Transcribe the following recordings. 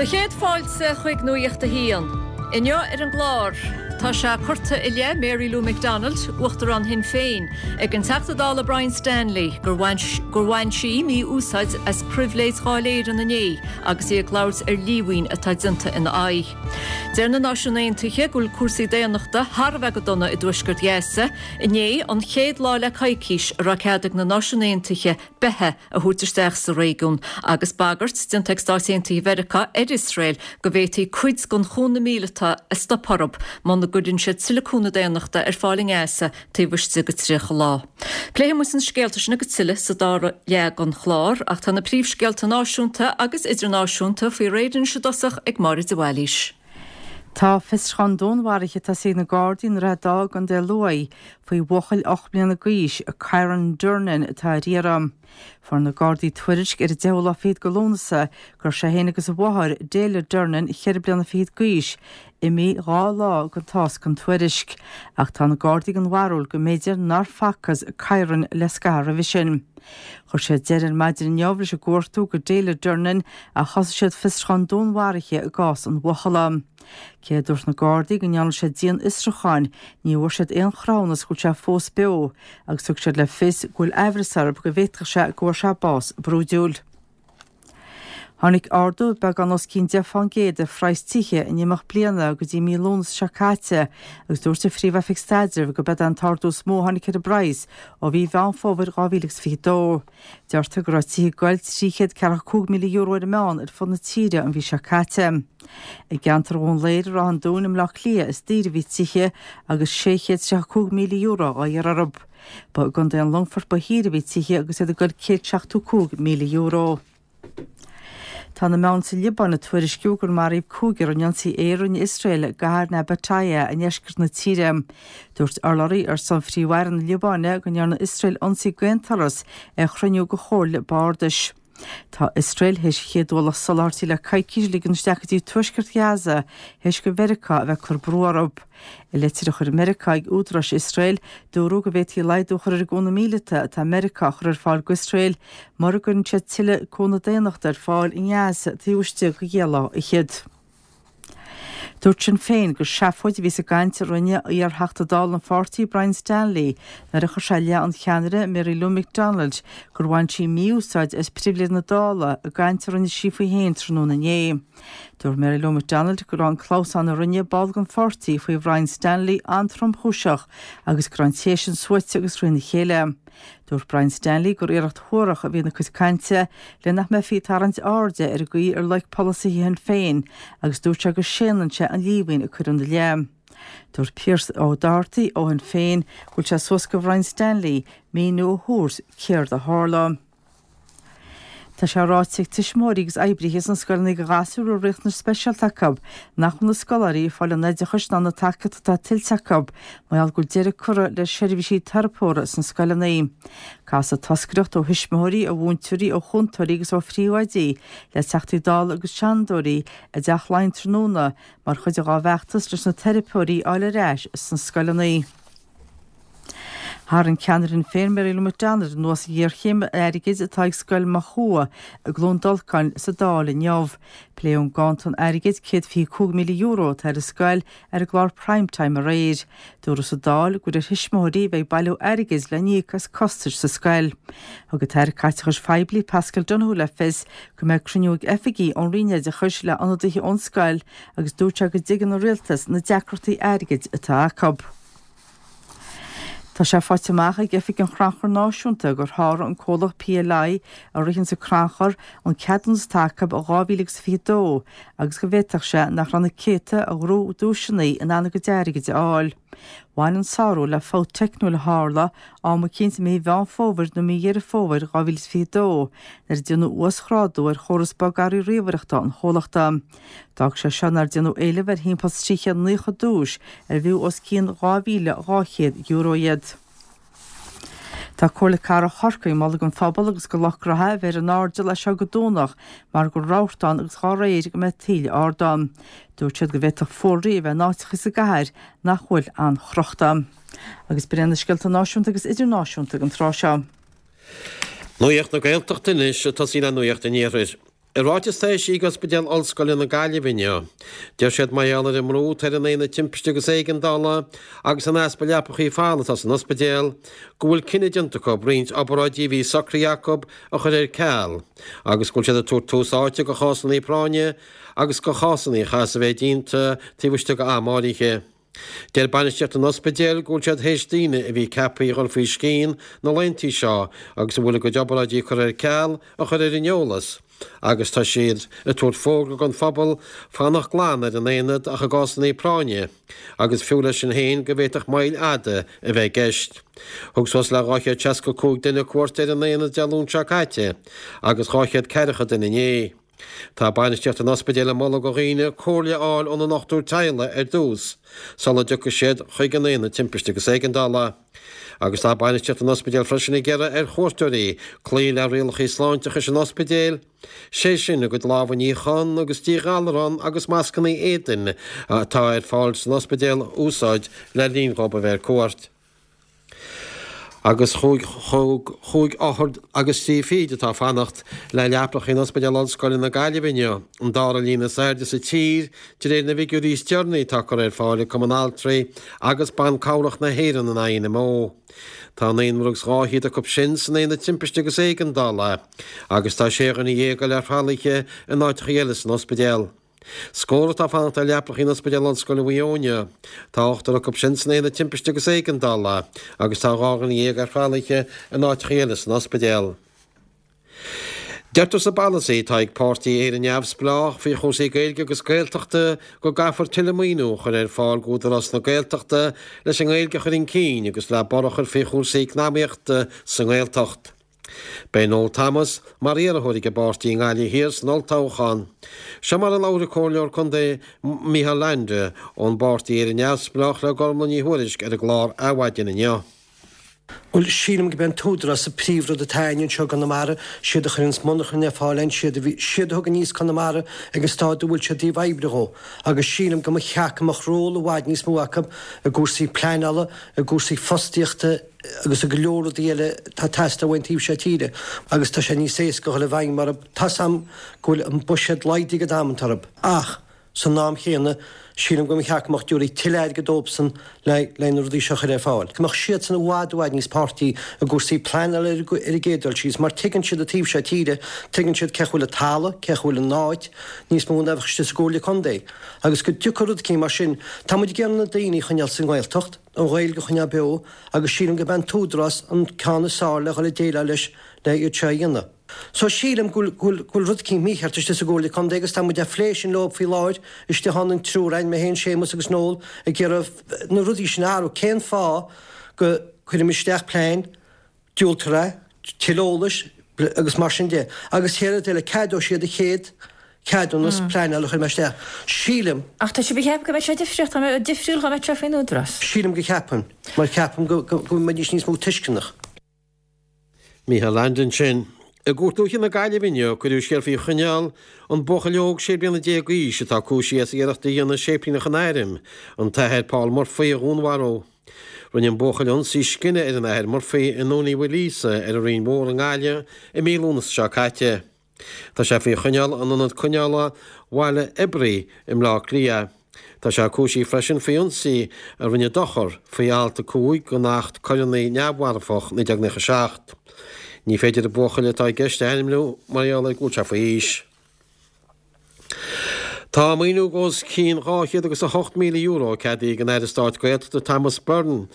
Do chéad fáilte chuig Nuacht a hAon. Inniu ar an gclár, tá sé curtha i leith Mary Lou McDonald, Uachtarán Shinn Féin, ag an Teachta Dála Brian Stanley gur bhain sí mí-úsáid as pribhléid Dháil Éireann inné agus í ag labhairt ar líomhain atá déanta ina aghaidh. Deir na Náisiúin Aontaithe go bhfuil cúrsaí daonnachta thar a bheith go dona i dtuaisceart Ghaza. Inné an chéad lá le coicís a raibh cead ag na Náisiúin Aontaithe beatha a thabhairt isteach sa réigiún agus bagairt déanta ag Stáit Aontaithe Mheiriceá ar Iosrael go bhféadfaí cuid den chúnamh míleata a stopadh orthu muna gcuireann siad tuilleadh cúnamh daonnachta ar fáil i nGaza taobh istigh de 30 lá. Pléifidh muid na scéalta sin agus tuilleadh sa dara leath den chlár ach tá na príomhscéalta náisiúnta agus idirnáisiúnta faoi réir anois i dtosach ag Máire de Bhailís. Tá fiosrúchán dúnmharaithe tosaithe ag na Gardaí i nDroichead Átha i gContae Lú faoi bhuachaill 8 mbliana d'aois, Kyran Durnin, atá ar iarraidh. Fuair na Gardaí tuairisc ar an deichiú lá fichead de Lúnasa go raibh sé féin agus a mháthair, Delia Durnin, cheithre bliana fichead d'aois, imithe 2 lá den tásc an tuairisc. Ach tá na Gardaí den bharúil go mb'fhéidir nár facthas Kyran le scaitheamh roimhe sin. Chuir siad deireadh ar maidin inniu leis an gcuartú do Delia Durnin ach thosaigh siad fiosrúchán dúnmharaithe i gcás an bhuachalla. Cé a dúirt na Gardaí go ndearna siad dianfhiosrúcháin, ní bhfuair siad aon chruthúnas go bhfuil sé fós beo agus thug siad le fios go bhfuil aimhreas orthu go bhféadfadh sé go bhfuair sé bás brúidiúil. Tháinig ardú beagán os cionn 10 fán gcéad ar phraghas tithe in imeacht bliana go dtí mí Lúnasa seo caite agus dúirt an Phríomh-Oifig Staidrimh go b'ead é an t-ardú is mó a tháinig ar an bpraghas ó mhí Mheán Fómhair 2022. Deirtear go raibh tithe ag goil €345,000 ar an meán ar fud na tíre an mhí seo caite. I gceantar Dhún Laoghaire Ráth an Dúin i mBleá Cliath is daoire a bhí tithe agus €635,000 á iarraidh orthu. Ba i gContae an Longfoirt ba shaoire a bhí tithe agus iad ag goil €175,000. Tá na meáin sa Liobáin ag tuairisciú gur maraíodh cúigear in ionsaí aeir a rinne Iosrael i gcathair Nabatieh i ndeisceart na tíre. Dúirt urlabhraí ar son Phríomh-Aire na Liobáine go ndearna Iosrael ionsaí d'aon turas ar chruinniú de chomhairle bardais. Tá Iosrael théis an chéad ualach soláthairtí le coicís a ligean isteach go dtí tuaisceart Ghaza théis do Mheiriceá a bheith ag cur brú orthu. I litir a chuir Meiriceá ag údaráis Iosrael, dúradh go bhféadfaí laghdú a chur ar an gcúnamh míleata atá Meiriceá a chur ar fáil d'Iosrael mura gcuireann siad tuilleadh cúnamh daonnachta ar fáil i nGaza taobh istigh de dheich lá fhichead. Dúirt Sinn Féin gur seafóid a bhí sa gcaint a rinne iar-Theachta Dála an pháirtí Brian Stanley nuair a chuir sé i leith an cheannaire Mary Lou McDonald gur bhain sí mí-úsáid as pribhléid na Dála i gcaint a rinne sí faoi féin tráthnóna inné. Dúirt Mary Lou McDonald go raibh an clamhsán a rinne ball den pháirtí faoi Bhrian Stanley an-tromchúiseach agus go raibh an té sin suaite agus thrína chéile. Dúirt Brian Stanley gur iarracht shuarach a bhí ina cuid cainte le nach mbeifí ag tarraingt airde ar an gcaoi ar loic polasaithe Shinn Féin agus dúirt sé go séanann sé an líomhain a cuireadh ina leith. Dúirt Pearse Ó Dochartaigh ó Shinn Féin go bhfuil sé suas go Bhrian Stanley míniú a thabhairt céard a tharla. Tá sé ráite ag tuismitheoirí agus oibrithe sna scoileanna do ghasúir a bhfuil riachtanais speisialta acu nach bhfuil na scoláirí ag fáil an oideachais ná na tacaíochta atá tuillte acu mar gheall go bhfuil deireadh curtha le seirbhísí teiripeora sna scoileanna. Casadh toscaireacht ó thuismitheoirí, ó mhúinteoirí, ó chúntóirí agus ó phríomhoidí le Teachtaí Dála agus Seanadóirí i dTeach Laighean tráthnóna mar chuid dá bhfeachtas leis na teiripeoirí a fháil ar ais sna scoileanna. Tharraing ceannaire Shinn Féin Mary Lou McDonald anuas an ghéarchéim airgid atá ag Scoil Mochua i gCluain Dolcáin sa Dáil inniu. Pléadh an ganntan airgid €125,000 atá ar an scoil ar an gclár Prime Time aréir. Dúradh sa Dáil gur ar thuismitheoirí a bheidh bailiú airgid le n-íoc as costais sa scoil. Thug an tAire Caiteachais Phoiblí Paschal Donohoe le fios go mbeidh cruinniú ag oifigigh ón Roinn Oideachais le hionadaithe ón scoil agus dúirt sé go dtuigeann an Rialtas na deacrachtaí airgid atá acu. Tá sé faighte amach ag Oifig an Chrannchuir Náisiúnta gur sháraigh an comhlacht PLI a ritheanns an crannchur an ceadúnas atá acu ó 2022 agus go bhféadfadh sé nach raibh na céadta a ghnóthaigh duaiseanna in ann a gcuid airgid a fháil. Bhain an sárú le fabht teicniúil a tharla am eicínt i mí Mheán Fómhair nó mí Dheireadh Fómhair 2022 nuair a déanadh uasghrádú ar chóras bogearraí ríomhaireachta an chomhlachta. D'fhág sé seo nár déanadh éileamh ar thimpeall 390 duais ar bhfiú os cionn €2,200 iad. Tá Comhairle Cathrach Chorcaí ag moladh don phobal agus do lucht gnaithe a bheith ar an airdeall as seo go Domhnach mar go bhfuil rabharta ann agus dá réir go mbeidh taoille ard ann. Dúirt siad go bhféadfadh fuarlaigh a bheith in áiteacha sa gcathair nach bhfuil an-chrochta. Agus b'in iad na scéalta náisiúnta agus idirnáisiúnta don tráth seo. Nuacht na Gaeltachta anois, ag tosaí le Nuacht an Iarthair. I ráiteas atá eisithe ag Ospidéal Ollscoile na Gaillimhe inniu, deir siad mar gheall ar an mbrú atá ar an Aonad Timpiste agus Éigeandála agus an easpa leapachaí folamh atá san ospidéal, go bhfuil cinneadh déanta acu roinnt obráidí a bhí socraithe acu a chur ar ceal agus go bhfuil siad ag tabhairt tús áite do chásanna práinne agus do chásanna a chaithfeas a bheith déanta taobh istigh d'am áirithe. Deir bainistíocht an ospidéil go bhfuil siad théis daoine a bhí ceaptha a dhul faoi scian na laethanta seo agus a bhfuil a gcuid obráidí curtha ar ceal a chur ar an eolas agus tá siad ag tabhairt fógra don phobal fanacht glan ar an aonad ach i gcásanna práinne agus fiú leis sin féin go bhféadfadh moill fhada a bheith i gceist. Thug suas le 265 duine cuairt ar an aonad Dé Luain seo caite agus 200 ceathracha duine inné. Tá bainistíocht an ospidéil ag moladh do dhaoine comhairle a fháil óna ndochtúir teaghlaigh ar dtús sula dtiocfaidh siad chuig an Aonad Timpiste agus Éigeandála. Agus tá bainistíocht an ospidéil freisin ag iarraidh ar chuairteoirí cloí le rialacha sláinteachais an ospidéil, sé sin a gcuid lámha a níochán agus díghalarán agus mascanna éadain atá ar fáil san ospidéal a úsáid le linn dhóibh a bheith ar cuairt. Agus chúig chúig othar agus trí fichid atá ag fanacht le leapacha in Ospidéal Ollscoile na Gaillimhe inniu, an dara líon is airde sa tír de réir na bhfigiúirí is deireanaí atá curtha ar fáil ag Cumann Altraí agus Ban Cabhrach na hÉireann, an INMO. Tá naonúr agus dhá fhichead acu sin san Aonad Timpiste agus Éigeandála agus tá sé dhuine dhéag eile ar thralaithe in áiteacha eile san ospidéal. Scór atá ag fanacht ar leapacha in Ospidéal Ollscoile Mhaigh Eo inniu. Tá ochtar acu sin san Aonad Timpiste agus Éigeandála agus tá 12 dhuine ar thralaithe in áiteacha eile san ospidéal. Deirtear sa bpolasaí atá ag páirtí Éire Neamhspleách faoi chúrsaí Gaeilge agus Gaeltachta go gcaithfear tuilleadh maoiniú a chur ar fáil d'Údarás na Gaeltachta leis an nGaeilge a chur chun cinn agus le borradh a chur faoi chúrsaí eacnamaíochta sa nGaeltacht. Beidh Noel Thomas mar iarrthóir ag an bpáirtí i nGaillimh Thiar san olltoghchán. Seo mar a labhair an Comhairleoir Contae Micheál Leainde ón bpáirtí Éire Neamhspleách le Gormlaith Ní Thuairisg ar an gclár Adhmhaidin inniu. Bhuel, sílim go b'é an t-údarás an príomhrud atá a'inn anseo i gConamara, siad a chuireanns monarchan ar fáil a'inn, siad a bhí, siad a thug aníos Conamara ag an stáid a bhfuil sé i dtaobh oibre dhó. Agus sílim go mba cheart go mbeadh ról i bhfad níos mó acu i gcúrsaí pleanála, i gcúrsaí fostaíochta, agus i go leor rudaí eile atá ag teastáil uainn taobh seo tíre agus tá sé níos éasca a dhul i bhfeidhm orthu. Tá's a'm go bhfuil an buiséad laghdaithe ag amanta orthu ach san am chéanna sílim go mba cheart go mbeadh dtabharfaí tuilleadh airgid dóibhsan le le na rudaí seo a chur ar fáil. Go mbeadh siadsan i bhfad i bhfad níos páirtí i gcúrsaí pleanála ar an gcéad dul síos mar tuigeann siad an taobh seo tíre, tuigeann siad cén chaoi bhfuil an talamh, cén chaoi bhfuil an áit, níos mó ná a bheadh istigh sa gComhairle Contae. Agus go dtiocfadh rud eicínt mar sin. Tá muid ag iarraidh na daoine a choinneáil sa nGaeltacht. an Ghaeilge a choinneáil beo agus sílim go b'é an t-údarás an ceann is fearr le dhul ag déileáil leis le iad seo a dhéanamh. So sílim go bhfuil go bhfuil rud eicínt mícheart istigh sa gComhairle Contae agus tá muid ag phlé sin leo faoi láthair istigh ann an triúr againn, mé féin, Séamus agus Noel, ag iarraidh na rudaí sin a athrú. Cén fáth go cuirim isteach plean diúltar é, tuilleadh eolais agus mar sin de. Agus chéad rud eile, ceadóidh siad an chéad cheadúnas pleanála a chuir mé isteach. Sílim. Ach tá sibh ag ceapadh go mbeidh sé difríocht, dá mbeadh difriúil dá mbeadh sé faoin Údarás? Sílim go gceapaim, mar ceapaim go go mbeidís níos mó tuisceanach. Micheál Leainde ansin. I gCúirt Dúiche na Gaillimhe inniu, cuireadh siar faoi choinneáil an buachaill óg 16 bliana d'aois atá cúisithe as iarracht a dhéanamh séiplíneach an Airm, an tAthair Paul Murphy, a dhúnmharú. Rinne an buachaill ionsaí scine ar an Athair Murphy i nDún Uí Mhaoilíosa ar an Rinn Mhór i nGaillimh i mí Lúnasa seo caite. Tá sé faoi choinneáil in Ionad Coinneála Bhaile Oibrí i mBleá Cliath. Tá sé cúisithe freisin faoi ionsaí a rinne dochar faoi alt 5 den Acht Coireanna Neamh-Mharfach 1997. Ní féidir an buachaill atá i gceist a ainmniú mar gheall ar go bhfuil sé faoi aois. Tá maoiniú os cionn €208,000 ceadaithe ag an Aire Stáit Gaeltachta Thomas Byrne,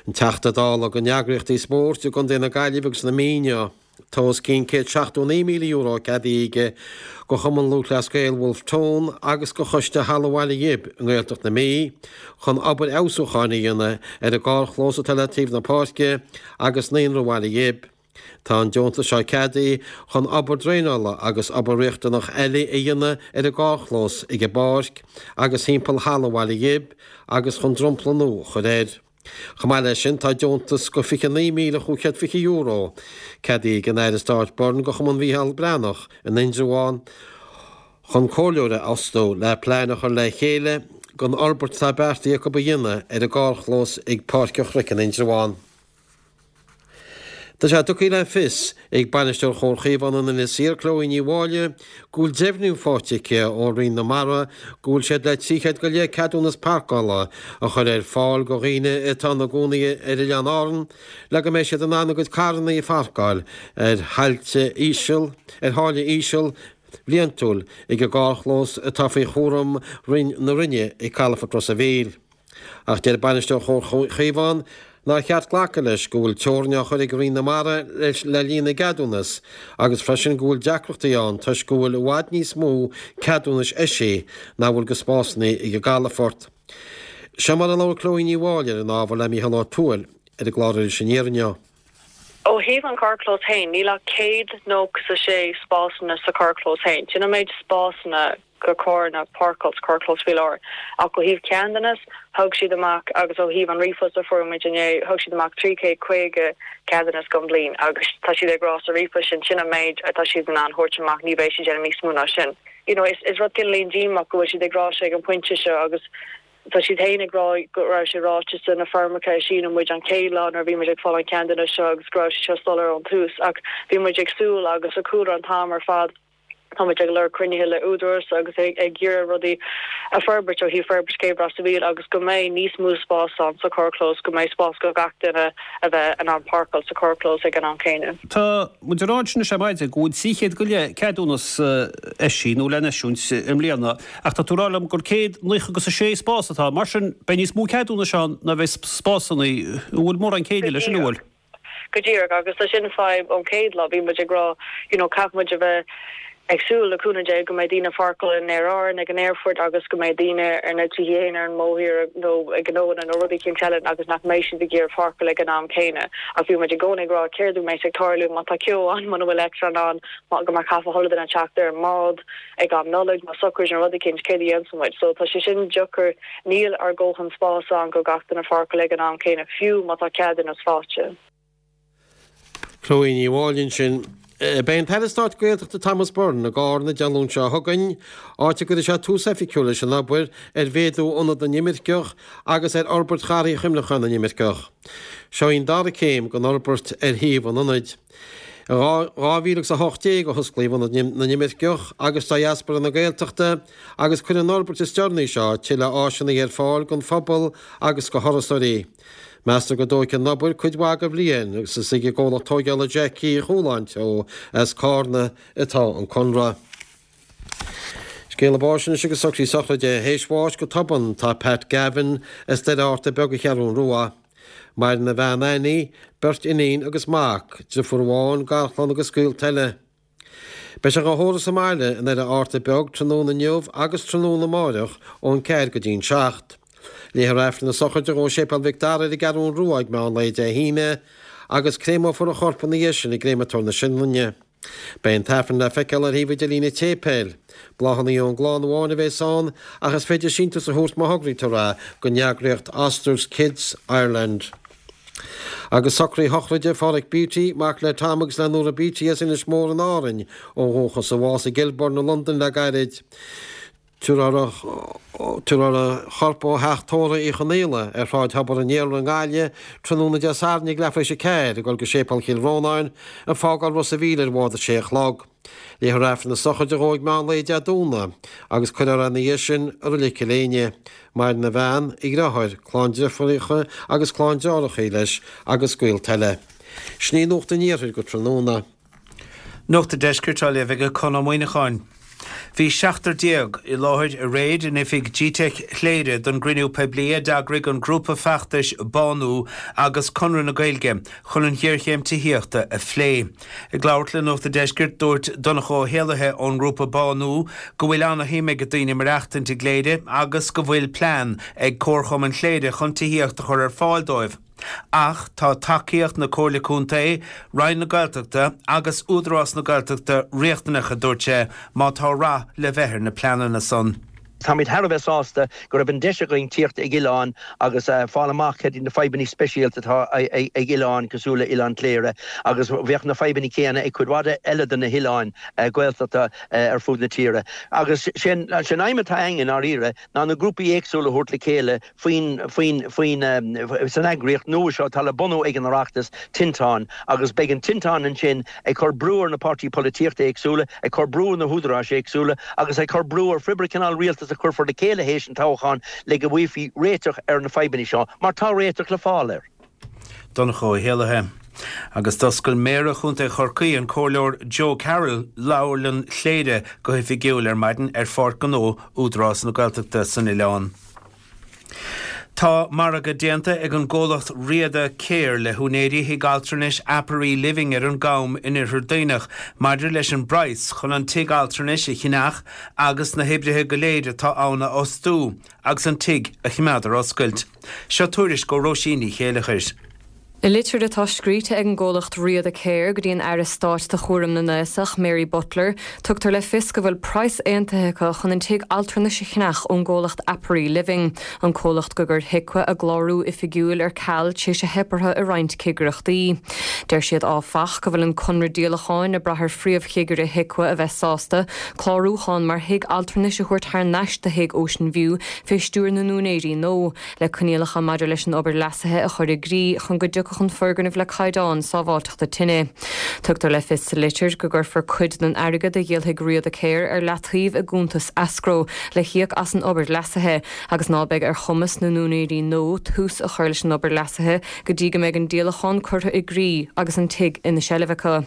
an Teachta Dála do na heagraíochtaí spóirt i gContae na Gaillimhe agus na Mí inniu. Tá os cionn €179,000 ceadaithe aige do Chumann Lúthchleas Gael Wolfe Tone agus do Choiste Halla Bhaile Ghib i nGaeltacht na Mí chun obair fheabhsúcháin a dhéanamh ar an gcarrchlós atá le taobh na páirce agus Naíonra Bhaile Ghib. Tá an deontas seo ceadaithe chun obair draenála agus obair riachtanach eile a dhéanamh ar an gcarrchlós ag an bpáirc agus thimpeall Halla Bhaile Ghib agus chun dromchla nua a chur air. Chomh maith leis sin tá deontas go €29,520 ceadaithe ag an Aire Stáit Byrne go Chumann Mhícheál Breathnach in Indreabhán chun comhairleoir a fhostú le plean a chur le chéile don fhorbairt atá beartaithe acu a dhéanamh ar an gcarrchlós ag Páirc an Chnoic in Indreabhán. Tá sé tugtha le fios ag Bainisteoir Chomhar Chaomhán in Inis Oírr, Chloe Ní Mháille, go bhfuil deimhniú faighte aici ó Roinn na Mara go bhfuil siad le 300 go leith ceadúnas páirceála a chur ar fáil go dhaoine atá ina gcónaí ar Oileáin Árann le go mbeidh siad in ann a gcuid carranna a pháirceáil ar thailte íseal ar tháille íseal bhliantúil ag an gcarrchlós atá faoi chúram Roinn na Roinne ag Calafort Ros a' Mhíl. Ach deir bainisteoir Chomhar Chaomhán nár cheart glacadh leis go bhfuil teorainn á chur ag Roinn na Mara le líon na gceadúnas agus freisin go bhfuil deacrachtaí ann toisc go bhfuil i bhfad níos mó ceadúnais eisithe ná bhfuil go spásanna ag an gcalafort. Seo mar a labhair Chloe Ní Mháille ar an ábhar le Mícheál Ó Tuathail ar an gclár Iris Aniar inniu. Ó thaobh an carrchlós féin, níl ach 196 spásanna sa charrchlós féin. Sin an méid spásanna go carranna páirceáil sa charrchlós faoi láthair. Ach ó thaobh ceadúnas, thug siad amach, agus ó thaobh an ríomhphost a fuair muid inné, thug siad amach 350 ceadúnas don bhliain agus tá siad ag rá sa ríomhphost sin, sin an méid atá siad in ann thabhairt amach, ní bheidh siad déanamh níos mó ná sin. You know, is rud cineáilín díomách go bhfuil siad ag rá seo ag an pointe seo agus Tá siad féin ag rá go raibh sé ráite sa na foirmeacha a shínigh muid an chéad lá nuair a bhí muid ag fáil an ceadúnas seo agus go raibh sé seo soiléir ón tús ach bhí muid ag súil agus sa chúlra an t-am ar fad tá muid ag lorg cruinnithe le Údarás agus ag iarraidh rudaí a forbairt ó thaobh forbairt céibh Ros a' Mhíl agus go mbeidh níos mó spás ann sa charrchlós, go mbeidh spás go gach duine a bheith in ann páirceáil sa charrchlós ag an am céanna. Tá muid ag rá ansin anois ar maidin go bhfuil 300 go leith ceadúnas eisithe nó le n-eisiúint i mbliana. Ach tá tú ag rá liom gur 190 agus 6 spás atá ann. Mar sin, beidh níos mó ceadúnais ann ná bheidh spásanna. An bhfuil mórán céille leis sin, an bhfuil? Go díreach. Agus tá sin fadhb ón chéad lá. Bhí muid ag rá, you know, caithfidh muid a bheith ag súil, le cúnamh Dé, go mbeidh daoine ag páirceáil in Aer Árann ag an aerfort agus go mbeidh daoine ar na tithe féin ar an mbóthar nó ag gnóanna nó rudaí eicínt eile agus nach mbeidh siad ag iarraidh páirceáil ag an am céanna. Ach bhí muid i gcónaí ag rá céard a bheas ag tarlú má tá ceo ann, muna bhfuil eitleán ann, go mbeidh caithfidh chuile duine teacht ar an mbád. ag am Nollag nó sochraid nó rud eicínt, céard a dhéanfaidh muid? So tá sé sin deacair, níl ár ndóthain spás ann go gach duine pháirceáil ag an am céanna, fiú má tá ceadúnas faighte. Chloe Ní Mháille ansin. Beidh an tAire Stáit Gaeltachta Thomas Byrne i gCarna Dé Luain seo chugainn, áit a gcuirfidh sé tús oifigiúil leis an obair ar mhéadú Ionad na nImirceach agus ar fhorbairt Gharraí Chuimhneacháin na nImirceach. Seo í an dara céim den fhorbairt ar shuíomh an ionaid. I 2018 a hosclaíodh Ionad na nImirceach agus Diaspora na Gaeltachta agus cuirfidh an fhorbairt is deireanaí seo tuilleadh áiseanna ar fáil don phobal agus do thurasóirí. Meastar go dtógfaidh an obair cuid mhaith de bhliain agus is ag an gcomhlacht tóigeála Jackie Uí Chualáin Teo as Cárna atá an conradh. Scéala báis anois agus socraí sochraide. Théis bháis go tobann tá Pat Gavin as Doire Fhatharta Beag an Cheathrún Rua. Maireann a bhean Annie, beirt iníon agus mac, driofúr amháin, garchlann agus gaolta eile. Beidh sé dhá thórramh sa mbaile i nDoire Fhatharta Beag tráthnóna inniu agus tráthnóna amáireach ón 4 go dtí'n 7. Léifear Aifreann na sochraide dhó i Séipéal Mhic Dara ar an gCeathrún Rua ag meán lae Dé hAoine agus créamófar a chorp ina dhiaidh sin i gCréamatóir na Sionainne. Beidh an tAifreann le feiceáil ar thaobh idirlín an tséipéil. Bláthanna ón gclann amháin a bheas ann ach is féidir síntiús a thabhairt má thograítear é don eagraíocht Ostar's Kids Ireland. Agus socruithe sochraide Pháraic Beatty, mac le Tom agus le Nóra Beatty as Inis Mór in Árainn ó dhúchas, a bhásaigh i gKilburn i Londain le gairid. Tabharfar a chorp ó theach tórraimh Uí Chonaola ar Shráid Thobar an Iarla i nGaillimh tráthnóna Dé Sathairn ag leathuair tar éis a 4 ag dul go Séipéal Chill Rónáin ag fágáil Ros a' Mhíl ar bhád a sé a chlog. Léifear Aifreann na sochraide dhó ag meán lae Dé Domhnaigh agus cuirfear é ina dhiaidh sin i Reilig Chill Éinne. Maireann a bhean, a dheartháir, clann deirfiúracha agus clann deartháireacha leis agus gaolta eile. Sin í Nuacht an Iarthair go tráthnóna. Nuacht an Deiscirt á léamh ag Conn Ó Muíneacháin. Bhí 17 i láthair aréir in oifig Gteic Chléire don gcruinniú poiblí a d'eagraigh an grúpa feachtais Bánú agus Conradh na Gaeilge chun an ghéarchéim tithíochta a phlé. Ag labhairt le Nuacht an Deiscirt dúirt Donncha Ó hÉallaithe ón ngrúpa Bánú go bhfuil ana-shuim ag daoine maireachtaint i gCléire agus go bhfuil plean ag Comharchumann Chléire chun tithíocht a chur ar fáil dóibh. Ach tá tacaíocht na Comhairle Contae, Roinn na Gaeltachta agus Údarás na Gaeltachta riachtanach, a dúirt sé, má tá rath le bheith ar na pleananna san. Táimid thar a bheith sásta go raibh an deis againn tíocht ag oileán agus fáil amach cad iad na fadhbanna speisialta atá ag oileáin cosúil le Oileán Chléire agus bheadh na fadhbanna céanna ag cuid mhaith eile de na hoileáin Ghaeltachta ar fud na tíre. Agus sé an aidhm atá againn i ndáiríre ná na grúpaí éagsúla a thabhairt le chéile faoin, faoin, faoin, san eagraíocht nua seo atá le bunú ag an Oireachtas, Tinteán, agus beidh an Tinteán ansin ag cur brú ar na páirtí polaitíochta éagsúla, ag cur brú ar na húdaráis éagsúla agus ag cur brú ar phé cineál rialtas a chuirfear le chéile théis an toghcháin le go bhfaighfí réiteach ar na fadhbanna seo, mar tá réiteach le fáil air. Donncha Ó hÉallaithe. Agus d'oscail Méara Chontae Chorcaí, an Comhairleoir Joe Carroll, Leabharlann Chléire go hoifigiúil ar maidin ar Pháirc Ghnó Údarás na Gaeltachta san oileán. Tá margadh déanta ag an gcomhlacht Riada Care le húinéirí thigh altranais Aperee Living ar an gCam in Oirthear Duibhneach maidir leis an bpraghas chun an tigh altranais a cheannach agus na hoibrithe go léir atá ann a fhostú agus an tigh a choimeád ar oscailt. Seo tuairisc ó Róisín Ní Chéileachair. I litir atá scríte ag an gcomhlacht Riada Care go dtí an Aire Stáit do Chúram na nAosach, Mary Butler, tugtar le fios go bhfuil praghas aontaithe acu chun an tigh altranais a cheannach ón gcomhlacht Aperee Living, an comhlacht gur chuir HIQA a gclárú oifigiúil ar ceal tar éis a theip orthu i roinnt cigireachtaí. Deir siad áfach go bhfuil an conradh díolacháin ag brath ar phríomhchigire HIQA a bheith sásta clárúchán mar thigh altranais a thabhairt thar n-ais do thigh Ocean View fé stiúir na n-úinéirí nua. le coinníollacha maidir leis an obair leasaithe a chur i gcrích chun go dtiocfadh an foirgneamh le caighdeáin sábháilteachta tine. Tugtar le fios sa litir go gcuirfear cuid den airgead a dhíolfaidh Riada Care ar leataobh i gcuntas escrow le híoc as an obair leasaithe agus ná beidh ar chumas na n-úinéirí nua tús a chur leis an obair leasaithe go dtí go mbeidh an díolachán curtha i gcrích agus an tigh ina seilbh acu.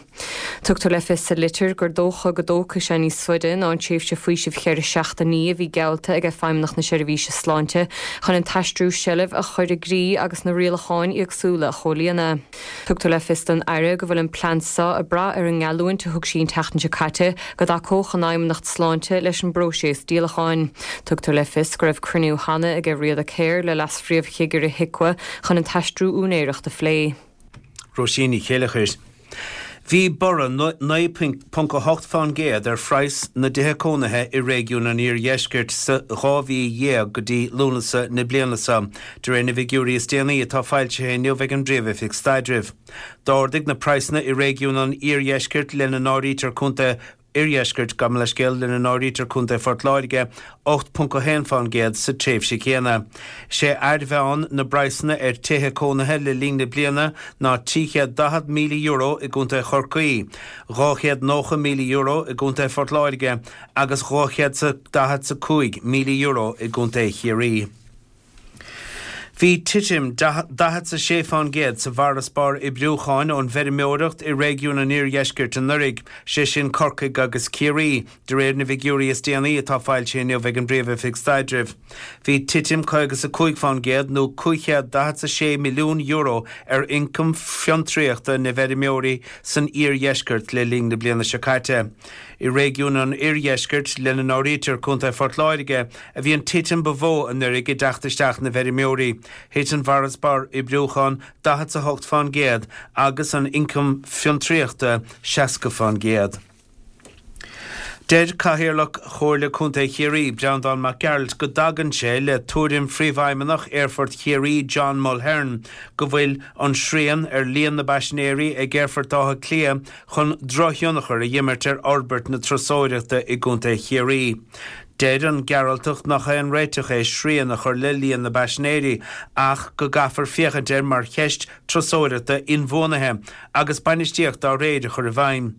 Tugtar le fios sa litir gur dócha go dtógfaidh sé níos faide ná an tréimhse faoisimh cheithre seachtainí a bhí geallta ag Feidhmeannacht na Seirbhíse Sláinte chun an t-aistriú seilbh a chur i gcrích agus na rialacháin éagsúla a chomhlíonadh. Tugtar le fios don Aire go bhfuil an plean seo ag brath ar an ngeallúint a thug sí an tseachtain seo caite go dtacódh an Fheidhmeannacht Sláinte leis an bpróiseas díolacháin. Tugtar le fios go raibh cruinniú cheana aige Riada Care le Leas-Phríomh-Chigire HIQA chun an t-aistriú úinéireachta a phlé. Róisín Ní Chéileachair. Bhí borradh 9.8% ar phraghas na dtithe cónaithe i réigiún an Iardheiscirt sa 12 mhí go dtí Lúnasa na bliana seo, de réir na bhfigiúirí is déanaí atá foilsithe inniu ag an bPríomh-Oifig Staidrimh. D'ardaigh na praghsanna i réigiún an Iardheiscirt, lena n-áirítear Contae Oirdheiscirt, gabh mo leithscéal, lena n-áirítear Contae Phort Láirge, 8.1% sa tréimhse chéanna. Is é airmheán na bpraghsanna ar tithe cónaithe le linn na bliana ná €340,000 i gContae Chorcaí, €290,000 i gContae Phort Láirge agus €245,000 i gContae Chiarraí. Bhí titim 46% sa bhfarasbarr oibriúcháin ón bhfeirmeoireacht i réigiún an Iardheiscirt anuraidh, sé sin Corcaigh agus Ciarraí, de réir na bhfigiúirí is déanaí atá foilsithe inniu ag an bPríomh-Oifig Staidrimh. Bhí titim 55% nó €546 milliún ar ioncam fiontraíochta na bhfeirmeoirí san Iardheisceart le linn na bliana seo caite. I réigiún an Oirdheiscirt, lena n-áirítear Contae Phort Láirge, a bhí an titim ba mhó anuraidh i dteacht isteach na bhfeirmeoirí. Thit an farasbarr oibriúcháin 48% agus an ioncam fiontraíochta 60%. Deir Cathaoirleach Chomhairle Contae Chiarraí, Breandán Mac Gearailt, go dtagann sé le tuairim Phríomhfheidhmeannach Aerfort Chiarraí, John Mulhern, go bhfuil an srian ar líon na bpaisinéirí ag Aerfort Átha Cliath chun drochthionchar a dh'imirt ar fhorbairt na turasóireachta i gContae Chiarraí. Deir an Gearaltach nach aon réiteach é srian a chur le líon na bpaisinéirí ach go gcaithfear féachaint air mar cheist turasóireachta inbhuanaithe agus bainistíocht dá réir a chur i bhfeidhm.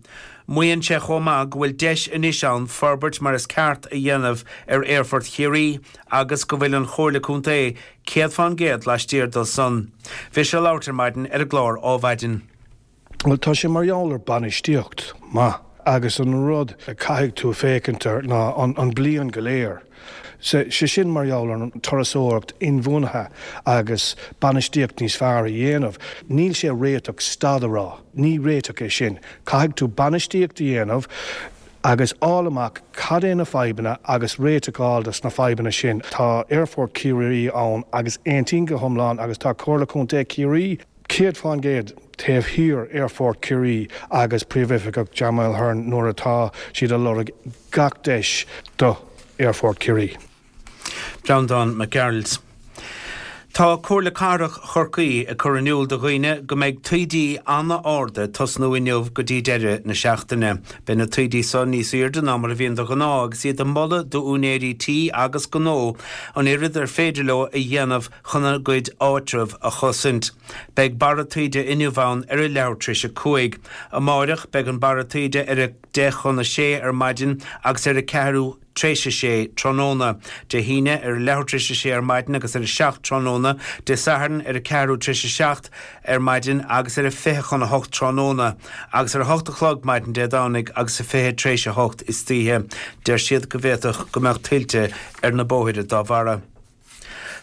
Maíonn sé chomh maith go bhfuil deis anois ann forbairt mar is ceart a dhéanamh ar Aerfort Chiarraí agus go bhfuil an Chomhairle Contae 100% laistiar dó san. Bhí sé ag labhairt ar maidin ar an gclár Ádhmhaidin. Bhuel, tá sé mar gheall ar bainistíocht maith agus an rud a caithfidh tú féachaint air ná an bliain go léir. Sé sin mar gheall ar an turasóireacht inbhuanaithe agus bainistíocht níos fearr a dhéanamh. Níl sé réiteach stad a rá, ní réiteach é sin. Caithfidh tú bainistíocht a dhéanamh agus fháil amach cad é na fadhbanna agus réiteach a fháil dos na fadhbanna sin. Tá Aerfort Chiarraí ann agus aontaím go hiomlán agus tá Comhairle Contae Chiarraí, 100% taobh thiar Aerfort Chiarraí agus Príomhoifigeach John Mulhern nuair atá siad ag lorg gach deis do Aerfort Chiarraí. Breandán Mac Gearailt. Tá Comhairle Cathrach Chorcaí ag cur in iúl do dhaoine go mbeidh taoidí ana-arda ag tosnú inniu go dtí deireadh na seachtaine. Beidh na taoidí so níos aoirde ná mar a bhíonn de ghnáth agus iad ag moladh d'úinéirí tí agus gnó an oiread ar féidir leo a dhéanamh chun a gcuid áitreabh a chosaint. Beidh barra taoide inniu ann ar a leathuair tar éis a 5. Amáireach beidh an barra taoide ar a deich chun a sé ar maidin agus ar a ceathrú tar éis a sé tráthnóna. Dé hAoine ar a leathuair tar éis a sé ar maidin agus ar a 7 tráthnóna. Dé Sathairn ar a ceathrú tar éis a 7 ar maidin agus ar a 20 chun a 8 tráthnóna. Agus ar a 8 a chlog maidin Dé Domhnaigh agus a 20 tar éis a 8 istoíche. Deir siad go bhféadfadh go mbeadh tuilte ar na bóithre dá bharra.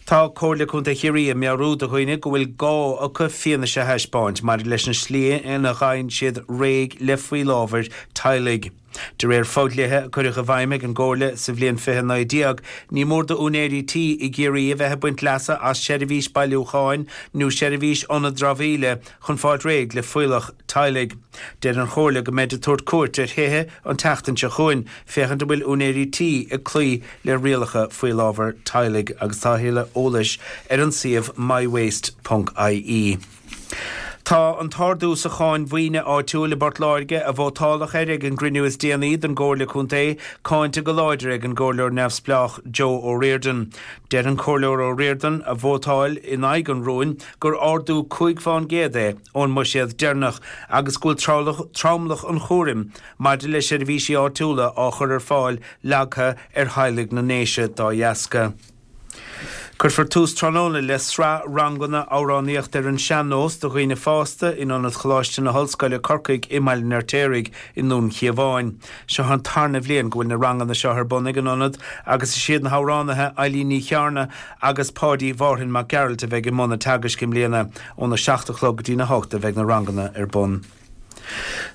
Tá Comhairle Contae Chiarraí ag meabhrú do dhaoine go bhfuil gá acu fianaise a thaispeáint maidir leis an slí ina bhfaigheann siad réidh le fuíollábhair teaghlaigh. De réir fodhlíthe a cuireadh i bhfeidhm ag an gComhairle sa bhliain 2019, ní mór d'úinéirí tí i gCiarraí a bheith ag baint leasa as seirbhís bailiúcháin nó seirbhís ionad dramhaíola chun fáilt réidh le fuíollach teaghlaigh. Deir an Chomhairle go mbeid ag tabhairt cuairt ar thithe an tseachtain seo chugainn féachaint an bhfuil úinéirí tí ag cloí le rialacha fuíollábhar teaghlaigh agus tá a thuilleadh eolais ar an suíomh mywaste ponc ie. Tá an t-ardú sa cháin mhaoine áitiúil i bPort Láirge, a vótáladh air ag an gcruinniú is déanaí den gComhairle Contae, cáinte go láidir ag an gComhairleoir neamhspleách Joe O'Riordan. Deir an Comhairleoir O'Riordan, a vótáil in aghaidh an rúin, gur ardú 5 fán gcéad é ón mbuiséad deireanach agus go bhfuil tromlach an chúraim maidir le seirbhísí áitiúla á chur ar fáil leagtha ar theaghlaigh na nDéise dá dheasca. Cuirfear tús tráthnóna le sraith ranganna amhránaíochta ar an sean-nós do dhaoine fásta in Ionad Choláiste na hOllscoile, Corcaigh i mBaile an Fheirtéaraigh i nDún Chíomháin. Seo an tarna bhliain go bhfuil na ranganna seo ar bun ag an Ionad agus is iad na hamhránaithe Eilín Ní Chearna agus Páidí Mhárthain Mac Gearailt a bheidh i mbun an teagaisc i mbliana. Óna 7 a chlog go dtína 8 a bheidh na ranganna ar bun.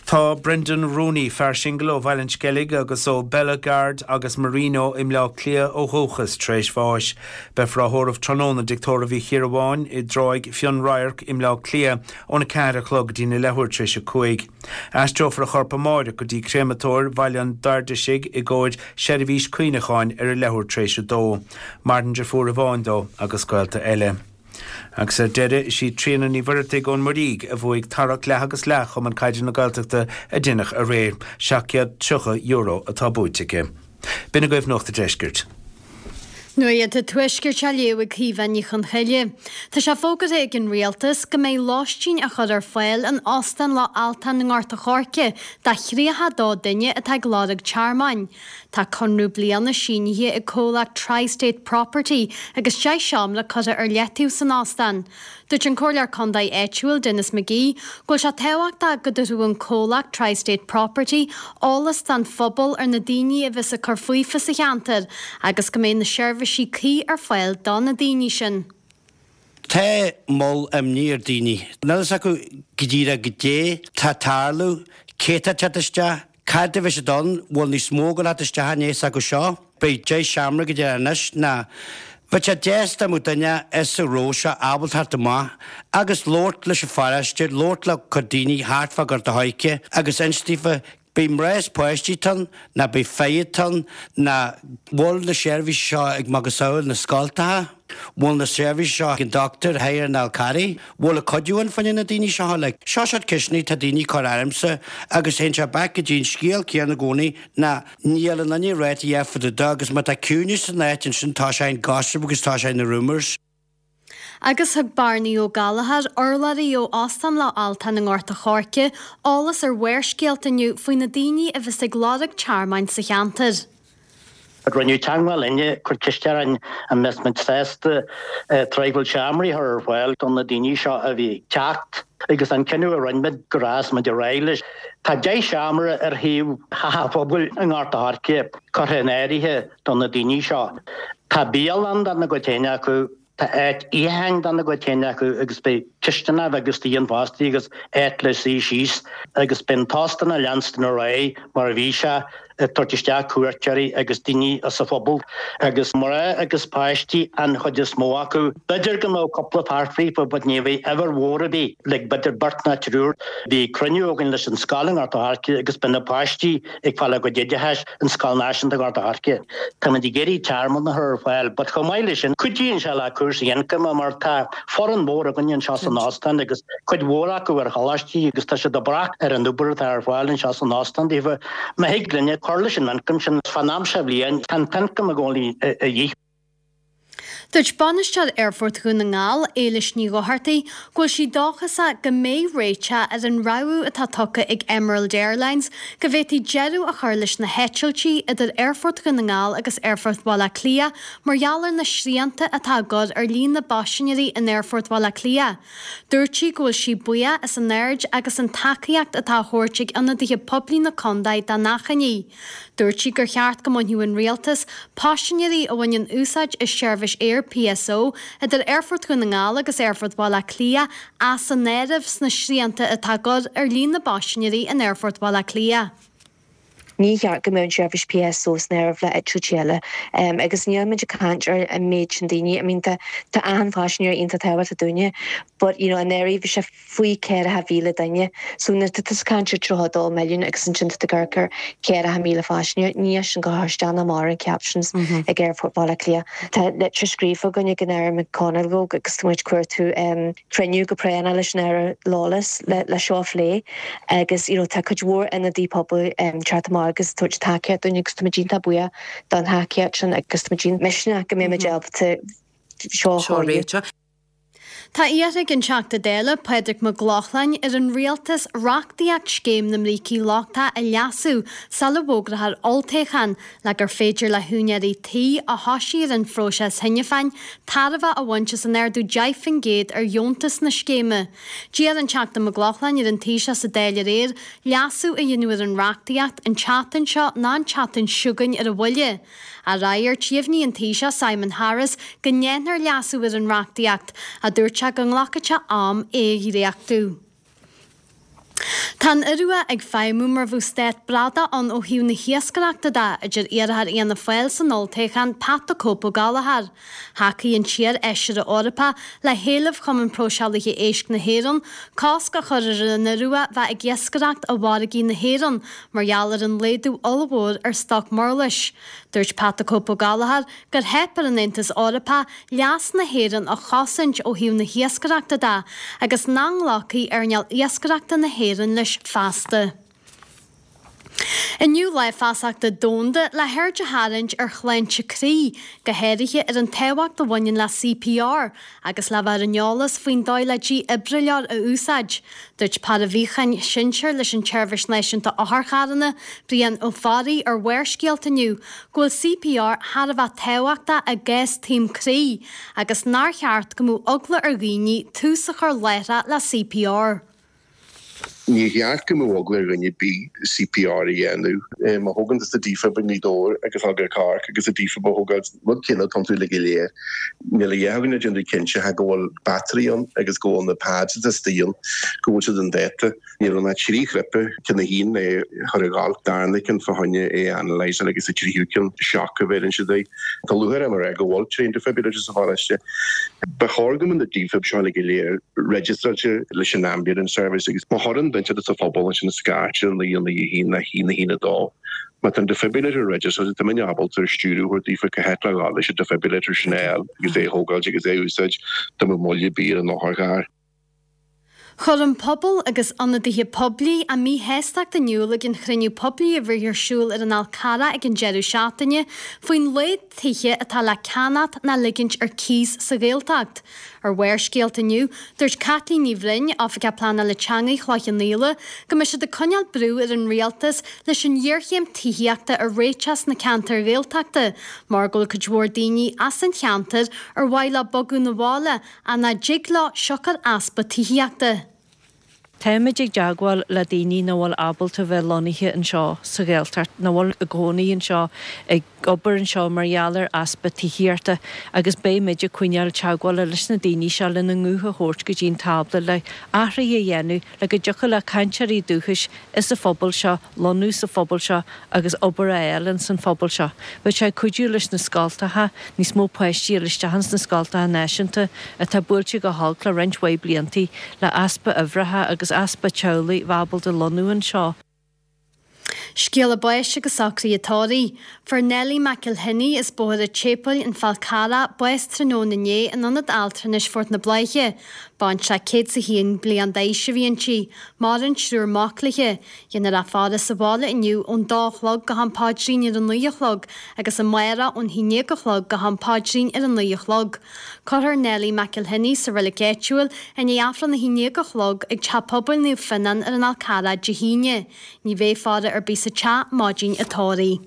Tá Brendan Rooney, fear singil ó Bhaile an Sceilg agus ó Bellagard agus Marino i mBleá Cliath ó dhúchas, tar éis bháis. Beifear á thórramh tráthnóna i dTigh Tórraimh Uí Chiarabháin i dTráigh Fionnradharc i mBleá Cliath óna 4 a chlog go dtína leathuair tar éis a 5. Aistreofar a chorp amáireach go dtí Créamatóir Bhaile an Dairdisigh i gcomhair seirbhís cuimhneacháin ar a leathuair tar éis a dó. Maireann deirfiúr amháin dó agus gaolta eile. Agus ar deireadh, is í Tríona Ní Mhuireadhaigh ón Muirígh a bhuaigh tarrac leath agus leath Chumann Caide na Gaeltachta a deineadh aréir. €730 atá buaite aici. B'in agaibh Nuacht a' Deiscirt. Nuacht an Tuaiscirt á léamh ag Caoimhe Ní Chonchoille. Tá sé fógartha ag an Rialtas go mbeidh lóistín á chur ar fáil in Óstán Loch Altan i nGort a' Choirce do 32 duine atá ag lorg tearmainn. Tá conradh bliana sínithe ag comhlacht Tri-State Property agus 10 seomra curtha ar leataobh san óstán. Dúirt an Comhairleoir Contae áitiúil Denis McGee go bhfuil sé tábhachtach go dtabharfadh an comhlacht Tri-State Property eolas don phobal ar na daoine a bheas ag cur faofa sa cheantar agus go mbeidh na seirbhísí cuí ar fáil do na daoine sin. Tá moll imní ar daoine. Níl fhios acu go díreach goidé tá ag tarlú, cé tá ag teacht isteach, cad a bheidh siad ann, bhfuil níos mó ag gabháil a theacht isteach i ndiaidh s'acu seo. Beidh 10 seomra go deireadh anois ná bheadh sé deas dá mbeadh duine as sa ról seo ábalta theacht amach agus labhairt leis an pharóiste, labhairt le cuid daoine thart fá Gort a' Choirce agus inst daofa Beidh mná is páistí atá ann, ná beidh fir atá ann, ná bhfuil na seirbhísí seo ag macasamhail na scoltacha, bhfuil na seirbhísí seo ag an doctúir thoir in Fhál Carraigh, bhfuil ag cuidiú ann fá choinne na daoine seo uilig. Seo seort ceisteanna tá daoine ag cur ormsa agus théann sé back go dtí an scéal céanna i gcónaí ná níl aon duine ag ráit a dhath fá dtaobh de agus má tá ciúineas san áit ansin tá sé in gossip agus tá sé in rumours. Agus thug Barnaí Ó Gallchóir, urlabhraí ó Óstán Loch Altan i nGort a' Choirce, eolas ar Bharrscéalta inniu faoi na daoine a bheas ag lorg tearmainn sa cheantar. Rinneadh teagmháil linne, cuir ceist orainn an mbeadh muid sásta traidhfil seomraí a chur ar fáil do na daoine seo a bhí ag teacht agus an cinneadh a rinne muid go raghas muid ar aghaidh leis. Tá 10 seomra ar thaobh Theach an Phobail i nGort a' Choirce curtha in áirithe do na daoine seo. Tá bialann dá gcuid féin acu, tá áit itheacháin dá gcuid féin acu agus beidh cisteanach agus díon fostaí agus áit le suí síos agus beidh an t-óstán ag leanstan ar aghaidh mar a bhí sé. Ag tabhairt isteach cuairteoirí agus daoine as an phobal agus mná agus páistí an chuid is mó acu. B'fhéidir go mbeadh cúpla fear fríofa but ní bheidh uimhir mhór ar bith, like b'fhéidir beirt nó triúr. Bhí cruinniú againn leis an scoil i nGort a' Choirce agus beidh na páistí ag fáil a gcuid oideachais in Scoil Náisiúnta Ghort a' Choirce. Táimid ag iarraidh tearmann a chur ar fáil but chomh maith leis sin cuidíonn sé le cúrsaí ioncaim mar tá foireann mhór againne anseo san óstán agus cuid mhór acu ar choláistí agus tá siad ag brath ar an obair atá ar fáil anseo san óstán daofa. Má thig linne cur leis an ioncam sin fán am seo bhliain, tá an t-ioncam i gcónaí a dhíth. Dúirt Bainisteoir Aerfort Dhún na nGall, Éilis Ní Dhochartaigh, go bhfuil sí dóchasach go mbeidh réiteach ar an rabhadh atá tugtha ag Emerald Airlines go bhféadfaí deireadh a chur leis na heitiltí idir Aerfort Dhún na Ngall agus Aerfort Bhaile Átha Cliath mar gheall ar na srianta atá á gcur ar líon na bpaisinéirí in Aerfort Bhaile Átha Cliath. Dúirt sí go bhfuil sí buíoch as an aird agus an tacaíocht atá á thabhairt ag ionadaithe poiblí na contae dá n-achainí. Dúirt sí gur cheart go mbainfeadh an Rialtas paisinéirí a bhaineann úsáid as seirbhís aeir PSO idir Aerfort Dhún na nGall agus Aerfort Bhaile Átha Cliath as an áireamh sna srianta atá á gcur ar líon na bpaisinéirí in Aerfort Bhaile Átha Cliath. Ní cheart go mbeadh an tseirbhís PSO san áireamh le eitiltí eile agus níl muid ag caint ar an méid sin daoine. I mean tá tá achan phaisinéir iontach tábhachtach dúinne but you know anuraidh bhí sé faoi 40,000 duine so nuair atá tú ag caint ar 32 milliún agus ansin tá tú ag amharc ar 40,000 phaisinéir níl sin ag cur isteach ná amach ar an captions ag Aerfort Bhaile Átha Cliath. Tá litir scríofa againn ag an Aire McConalogue agus tá muid ag cuartú cruinniú go práinneach leis an Aire Lawless le seo a phlé agus you know tá cuid mhór ionadaí pobail teacht amach agus tabhairt tacaíocht dúinn agus táimid iontach buíoch don thacaíocht sin agus táimid misneach go mbeimid ábalta seo a chóiriú. Tá iarrtha ag an Teachta Dála, Pádraig Mac Lochlainn, ar an Rialtas reachtaíocht Scéim na mBrící Lochtacha a leasú sula bhfógrófar olltoghchán le gur féidir le húinéirí tí a thosaigh ar an phróiseas cheana féin tairbhe a bhaint as an ardú 10% ar dheontas na scéime. D'iarr an Teachta Mac Lochlainn ar an Taoiseach sa Dáil aréir leasú a dhéanamh ar an reachtaíocht an tseachtain seo ná an tseachtain seo chugainn ar a mhoille. Á fhreagairt, dheimhnigh an Taoiseach Simon Harris go ndéanfar leasú ar an reachtaíocht, ach dúirt sé go nglacfadh sé am é a dhréachtú. Tá an Iorua ag feidhmiú mar bheadh stát bradach ann ó thaobh na hiascaireachta de, a deir iarrthóir Fhianna Fáil san olltoghchán, Pat the Cope Ó Gallchóir. Thacaigh an t-iar-fheisire Eorpach le héileamh Chumann Próiseálaithe Éisc na hÉireann cosc a chur ar an Iorua bheith ag iascaireacht i bhfarraigí na hÉireann mar gheall ar an laghdú ollmhór ar stoc murlais. Dúirt Pat the Cope Ó Gallchóir gur theip ar an Aontas Eorpach leas na hÉireann a chosaint ó thaobh na hiascaireachta de agus nach nglacfaidh earnáil iascaireachta na hÉireann leis feasta. Inniu Lá Feasachta Domhanda le haird a tharraingt ar shláinte croí, go háirithe ar an tábhacht a bhaineann le CPR agus le bheith ar an eolas faoin dóigh le dífhibrileoir a úsáid. Dúirt Paraimhíochán Sinsir leis an tSeirbhís Náisiúnta Otharcharranna, Brian Ó Fearraigh ar Bharrscéalta inniu go bhfuil CPR thar a bheith tábhachtach i gcás taom croí agus nár cheart go mbeadh eagla ar dhaoine tús a chur láithreach le CPR. Níor cheart go mbeadh eagla ar dhuine ar bith CPR a dhéanamh. Má thógann tusa defib i nGaoth Dobhair agus thug ar Cork agus an defib a thógáil, rud céanna atá iontu uilig go léir. Níl a dhath againn le déanamh cinnte go bhfuil battery ann agus go bhfuil na pads atá istigh ann, go bhfuil siad in dáta. Níl ann ach 3 chripe, ceann a haon é chur a dhul, darna ceann fá choinne é a analyseáil agus an tríú ceann shock a bheireann siad air. Tá lúcháir orm a rá go bhfuil trained defibrillators sa pharóiste. Ba chóir go mbeadh na defibs seo uilig go léir registeráilte leis an ambulance service agus má chuireann duine inteacht sa phobal ansin scairt ar 9 9 1 1 1 2. Má tá an defibrillator registeráilte tá muidne ábalta stiúradh a thabhairt daofa cá háit le dhul leis an defibrillator sin a fháil agus é a thógáilt agus é a úsáid dá mbeadh moill ar bith ar an otharcharr. Chuir an pobal agus ionadaithe poiblí a míshástacht in iúl ag an chruinniú poiblí a bhí ar siúl ar an Fhál Carrach ag an deireadh seachtaine faoin laghad tithe atá le ceannacht ná ligint ar cíos sa Ghaeltacht. Ar Bharrscéalta inniu, dúirt Caitlín Ní Bhroin, Oifigeach Pleanála Teanga Chloich Cheann Fhaola, go mbeidh siad ag coinneáil brú ar an Rialtas leis an ghéarchéim tithíochta a réiteach sna ceantair Ghaeltachta mar go bhfuil cuid mhór daoine as an cheantar ar mhaith leo bogadh 'na bhaile ach nach dtig leo siocair easpa tithíochta. Táimid ag dteagmháil le daoine nach bhfuil ábalta bheith lonnaithe anseo sa Ghaeltacht, nach bhfuil i gcónaí anseo, ag obair anseo mar gheall ar easpa tithíochta agus beidh muid ag coinneáil teagmhála leis na daoine seo lena nguth a thabhairt go dtí an tábla le athruithe a dhéanamh le go dtiocfadh le cainteoirí dúchais is sa phobal seo lonnú sa phobal seo agus obair a fháil ins an phobal seo. Bheadh sé ag cuidiú leis na scoltacha, níos mó páistí a fháil isteach ins na scoltacha náisiúnta atá buailte go holc le roinnt mhaith bliantaí le easpa uimhreacha agus easpa teaghlaigh bheith ábalta lonnú anseo. Scéala báis agus socruithe tórraimh. Fuair Nellie McElhinney as Bóthar an tSéipéil, An Fál Carrach, bás tráthnóna inné in Ionad Altranais Phort na Bláiche. Baintreach 101 bliain d'aois a bhí inti. Maireann triúr mac léi. Déanfar a faire sa bhaile inniu ón dó a chlog go ham paidrín ar a naoi a chlog agus amárach ón haon déag a chlog go ham paidrín ar a naoi a chlog. Cuirfear Nellie McElhinney sa reilig áitiúil i ndiaidh Aifreann a haon déag a chlog ag Teach Pobail Naomh Fionnán ar an Fhál Carrach Dé hAoine. Ní bheidh faire ar bith sa teach maidin an tórraimh.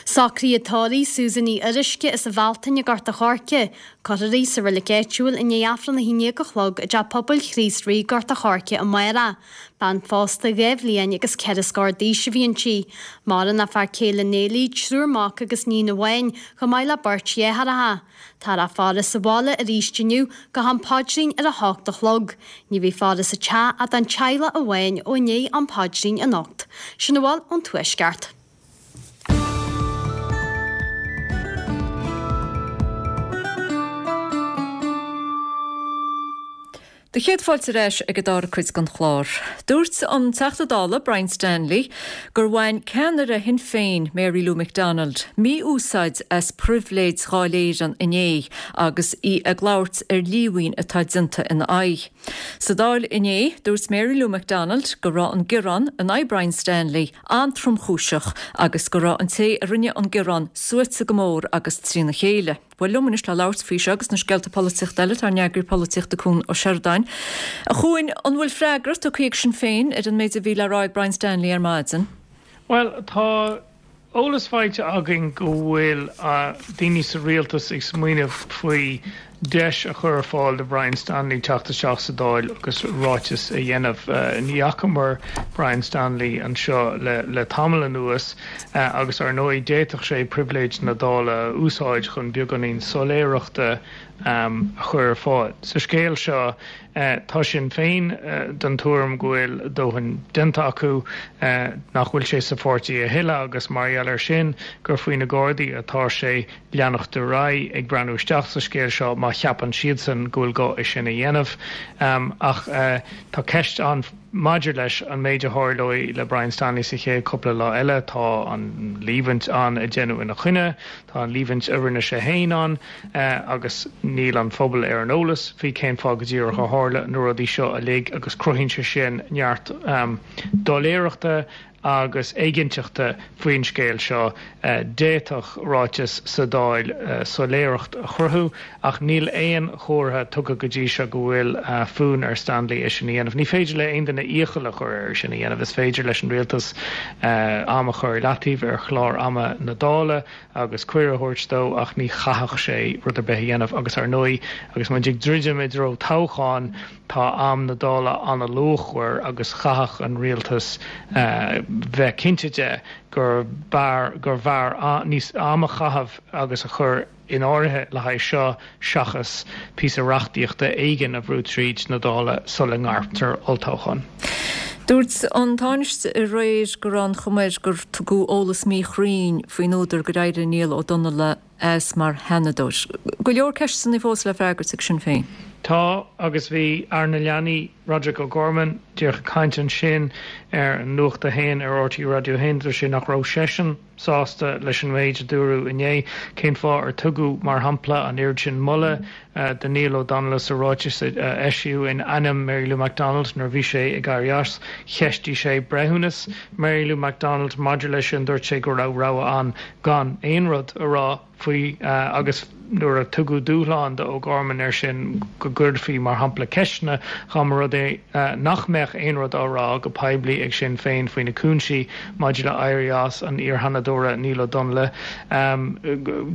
Socruithe tórraimh Susan Ní Fhuaruisce as an Bhealtaine i nGort a' Choirce. Cuirfear í sa reilig áitiúil i ndiaidh Aifreann a haon déag a chlog i dTeach Pobail Chríost Rí, Gort a' Choirce amárach. Bean phósta 2 bhliain agus 4 scór d'aois a bhí inti. Maireann a fear céile Neilí, triúr mac agus níon amháin, chomh maith le beirt dheartháireacha. Táthar á faire sa bhaile arís inniu go ham paidrín ar a hocht a chlog. Ní bheidh faire sa teach ach don teaghlach amháin ó i ndiaidh am paidrín anocht. Sin a bhfuil ón Tuaisceart. Do chéad fáilte ar ais ag an dara cuid den chlár. Dúirt an Teachta Dála Brian Stanley gur bhain ceannaire Shinn Féin, Mary Lou McDonald, mí-úsáid as pribhléid Dháil Éireann inné agus í ag labhairt ar líomhain atá déanta ina aghaidh. Sa Dáil inné, dúirt Mary Lou McDonald go raibh an gearán in aghaidh Brian Stanley an-tromchúiseach agus go raibh an té a rinne an gearán suaite go mór agus trína chéile. Bhuel, liom anois le labhairt faoi seo agus na scéalta polaitíochta eile tá ár n-eagraí polaitíochta Cuan Ó Seireadáin. A Chuain, an bhfuil freagra tugtha ag Sinn Féin ar an méid a bhí le rá ag Brian Stanley ar maidin? Bhuel, tá eolas faighte againn go bhfuil daoine sa rialtas ag smaoineamh faoi deis a chur ar fáil do Brian Stanley teacht isteach sa Dáil agus ráiteas a dhéanamh. Ní fhacamar Brian Stanley anseo le tamall anuas agus ar ndóigh d'fhéadfadh sé pribhléid na Dála a úsáid chun beagáinín soiléireachta a chur ar fáil. Sa scéal seo tá Sinn Féin den tuairim go bhfuil a dóthain déanta acu, nach bhfuil sé sa pháirtí a thuilleadh agus mar gheall air sin gur faoi na Gardaí atá sé leanacht ar aghaidh ag breathnú isteach sa scéal seo má cheapann siadsan go bhfuil gá é sin a dhéanamh. Ach tá ceist ann maidir leis an méid a tharlóidh le Brian Stanley sa chéad chúpla lá eile. Tá an líomhaint ann a deineadh ina choinne, tá an líomhaint a rinne sé féin ann agus níl an phobal ar an eolas faoi cén fáth go díreach a tharla na rudaí seo uilig agus cruthaíonn sé sin neart doiléireachta agus éiginnteachta faoin scéal seo. D'fhéadfadh ráiteas sa Dáil soiléireacht a chruthú, ach níl aon chomhartha tugtha go dtí seo go bhfuil fonn ar Stanley é sin a dhéanamh. Ní féidir le aon duine iachall a chur air é sin a dhéanamh. Is féidir leis an rialtas am a chur i leataobh ar chlár ama na Dála agus cuireadh a thabhairt dó ach ní chaithfeadh sé rud ar bith a dhéanamh agus ar ndóigh agus muid ag druidim i dtreo toghcháin, Tá am na Dála an-luachmhar agus chaithfeadh an rialtas bheith cinnte de gur b'fhearr gurbh fhearr níos am a chaitheamh agus a chur in áirithe le haghaidh seo seachas píosa reachtaíochta éigin a bhrú tríd na Dála sula ngairtear olltoghchán. Dúirt an Tánaiste aréir go raibh an chuma air gur tugadh eolas míchruinn faoin údar gur éirigh Niall Ó Donnaile as mar Sheanadóir. Go leor ceisteanna fós le freagairt ag Sinn Féin. Tá, agus bhí Aire na Leanaí, Roderic O'Gorman, díreach ag caint ansin ar Nuacht a hAon ar RTÉ Raidió 1. Dúirt sé nach raibh seisean sásta leis an méid a dúradh inné. Cén fáth ar tugadh, mar shampla, an oiread sin moladh do Niall Ó Donnaile sa ráiteas a eisíodh in ainm Mary Lou McDonald nuair a bhí sé ag éirí as. Cheistigh sé breithiúnas Mary Lou McDonald maidir leis sin. Dúirt sé go raibh rogha ann gan aon rud a rá faoi agus nuair a tugadh dúshlán do O'Gorman air sin go gcuirfí, mar shampla, ceisteanna dá mba rud. rud é nach mbeadh aon rud á rá go poiblí ag Sinn Féin faoi na cúinsí maidir le éirí as an iar-Sheanadóra Niall Ó Donnghaile,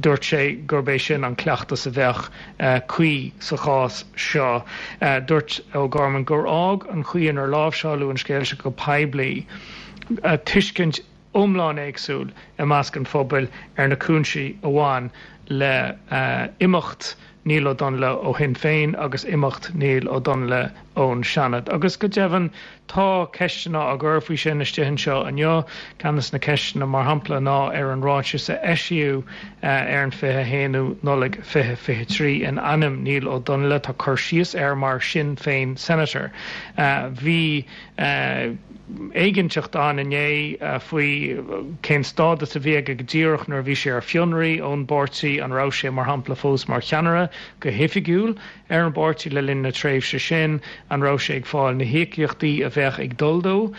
dúirt sé gurb é sin an cleachtas a bheadh cuí sa chás seo. Dúirt O'Gorman gur fhág an chaoi inar láimhseáladh an scéal seo go poiblí tuiscint iomlán éagsúil i measc an phobail ar na cúinsí a bhain le himeacht Niall Ó Donnghaile ó Shinn Féin agus imeacht Niall Ó Donnghaile ón Seanad. Agus go deimhin, tá ceisteanna á gcur faoi sin istigh anseo inniu. Ceann de na ceisteanna, mar shampla, ná ar an ráiteas a eisíodh ar an 21ú Nollaig 2023 in ainm Niall Ó Donnghaile, tá cur síos air mar Sinn Féin Senator. Bhí. éiginnteacht ann inné faoi cén stádas a bhí aige go díreach nuair a bhí sé ar fionraí ón bpáirtí, an raibh sé, mar shampla, fós mar cheannaire go hoifigiúil ar an bpáirtí le linn na tréimhse sin, an raibh sé ag fáil na híocaíochtaí a bheadh ag dul dó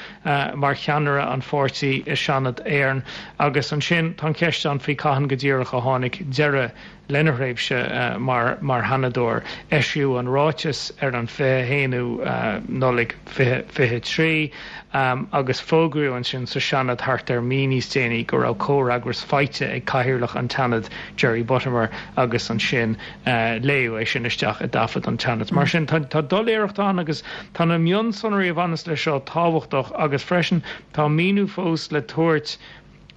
mar cheannaire an pháirtí i Seanad Éireann. Agus ansin tá an cheist ann faoi cathain go díreach a tháinig deireadh lena thréimhse mar Sheanadóir. Eisíodh an ráiteas ar an 21ú Nollaig 2023 agus fógraíodh ansin sa Seanad thart ar mí níos déanaí go raibh comhfhreagras faighte ag Cathaoirleach an tSeanaid Jerry Buttimer agus ansin léadh é sin isteach i dtaifead an tSeanaid. Mar sin tá doiléireacht ann agus tá na mionsonraí a bhaineas leis seo tábhachtach agus freisin tá míniú fós le tabhairt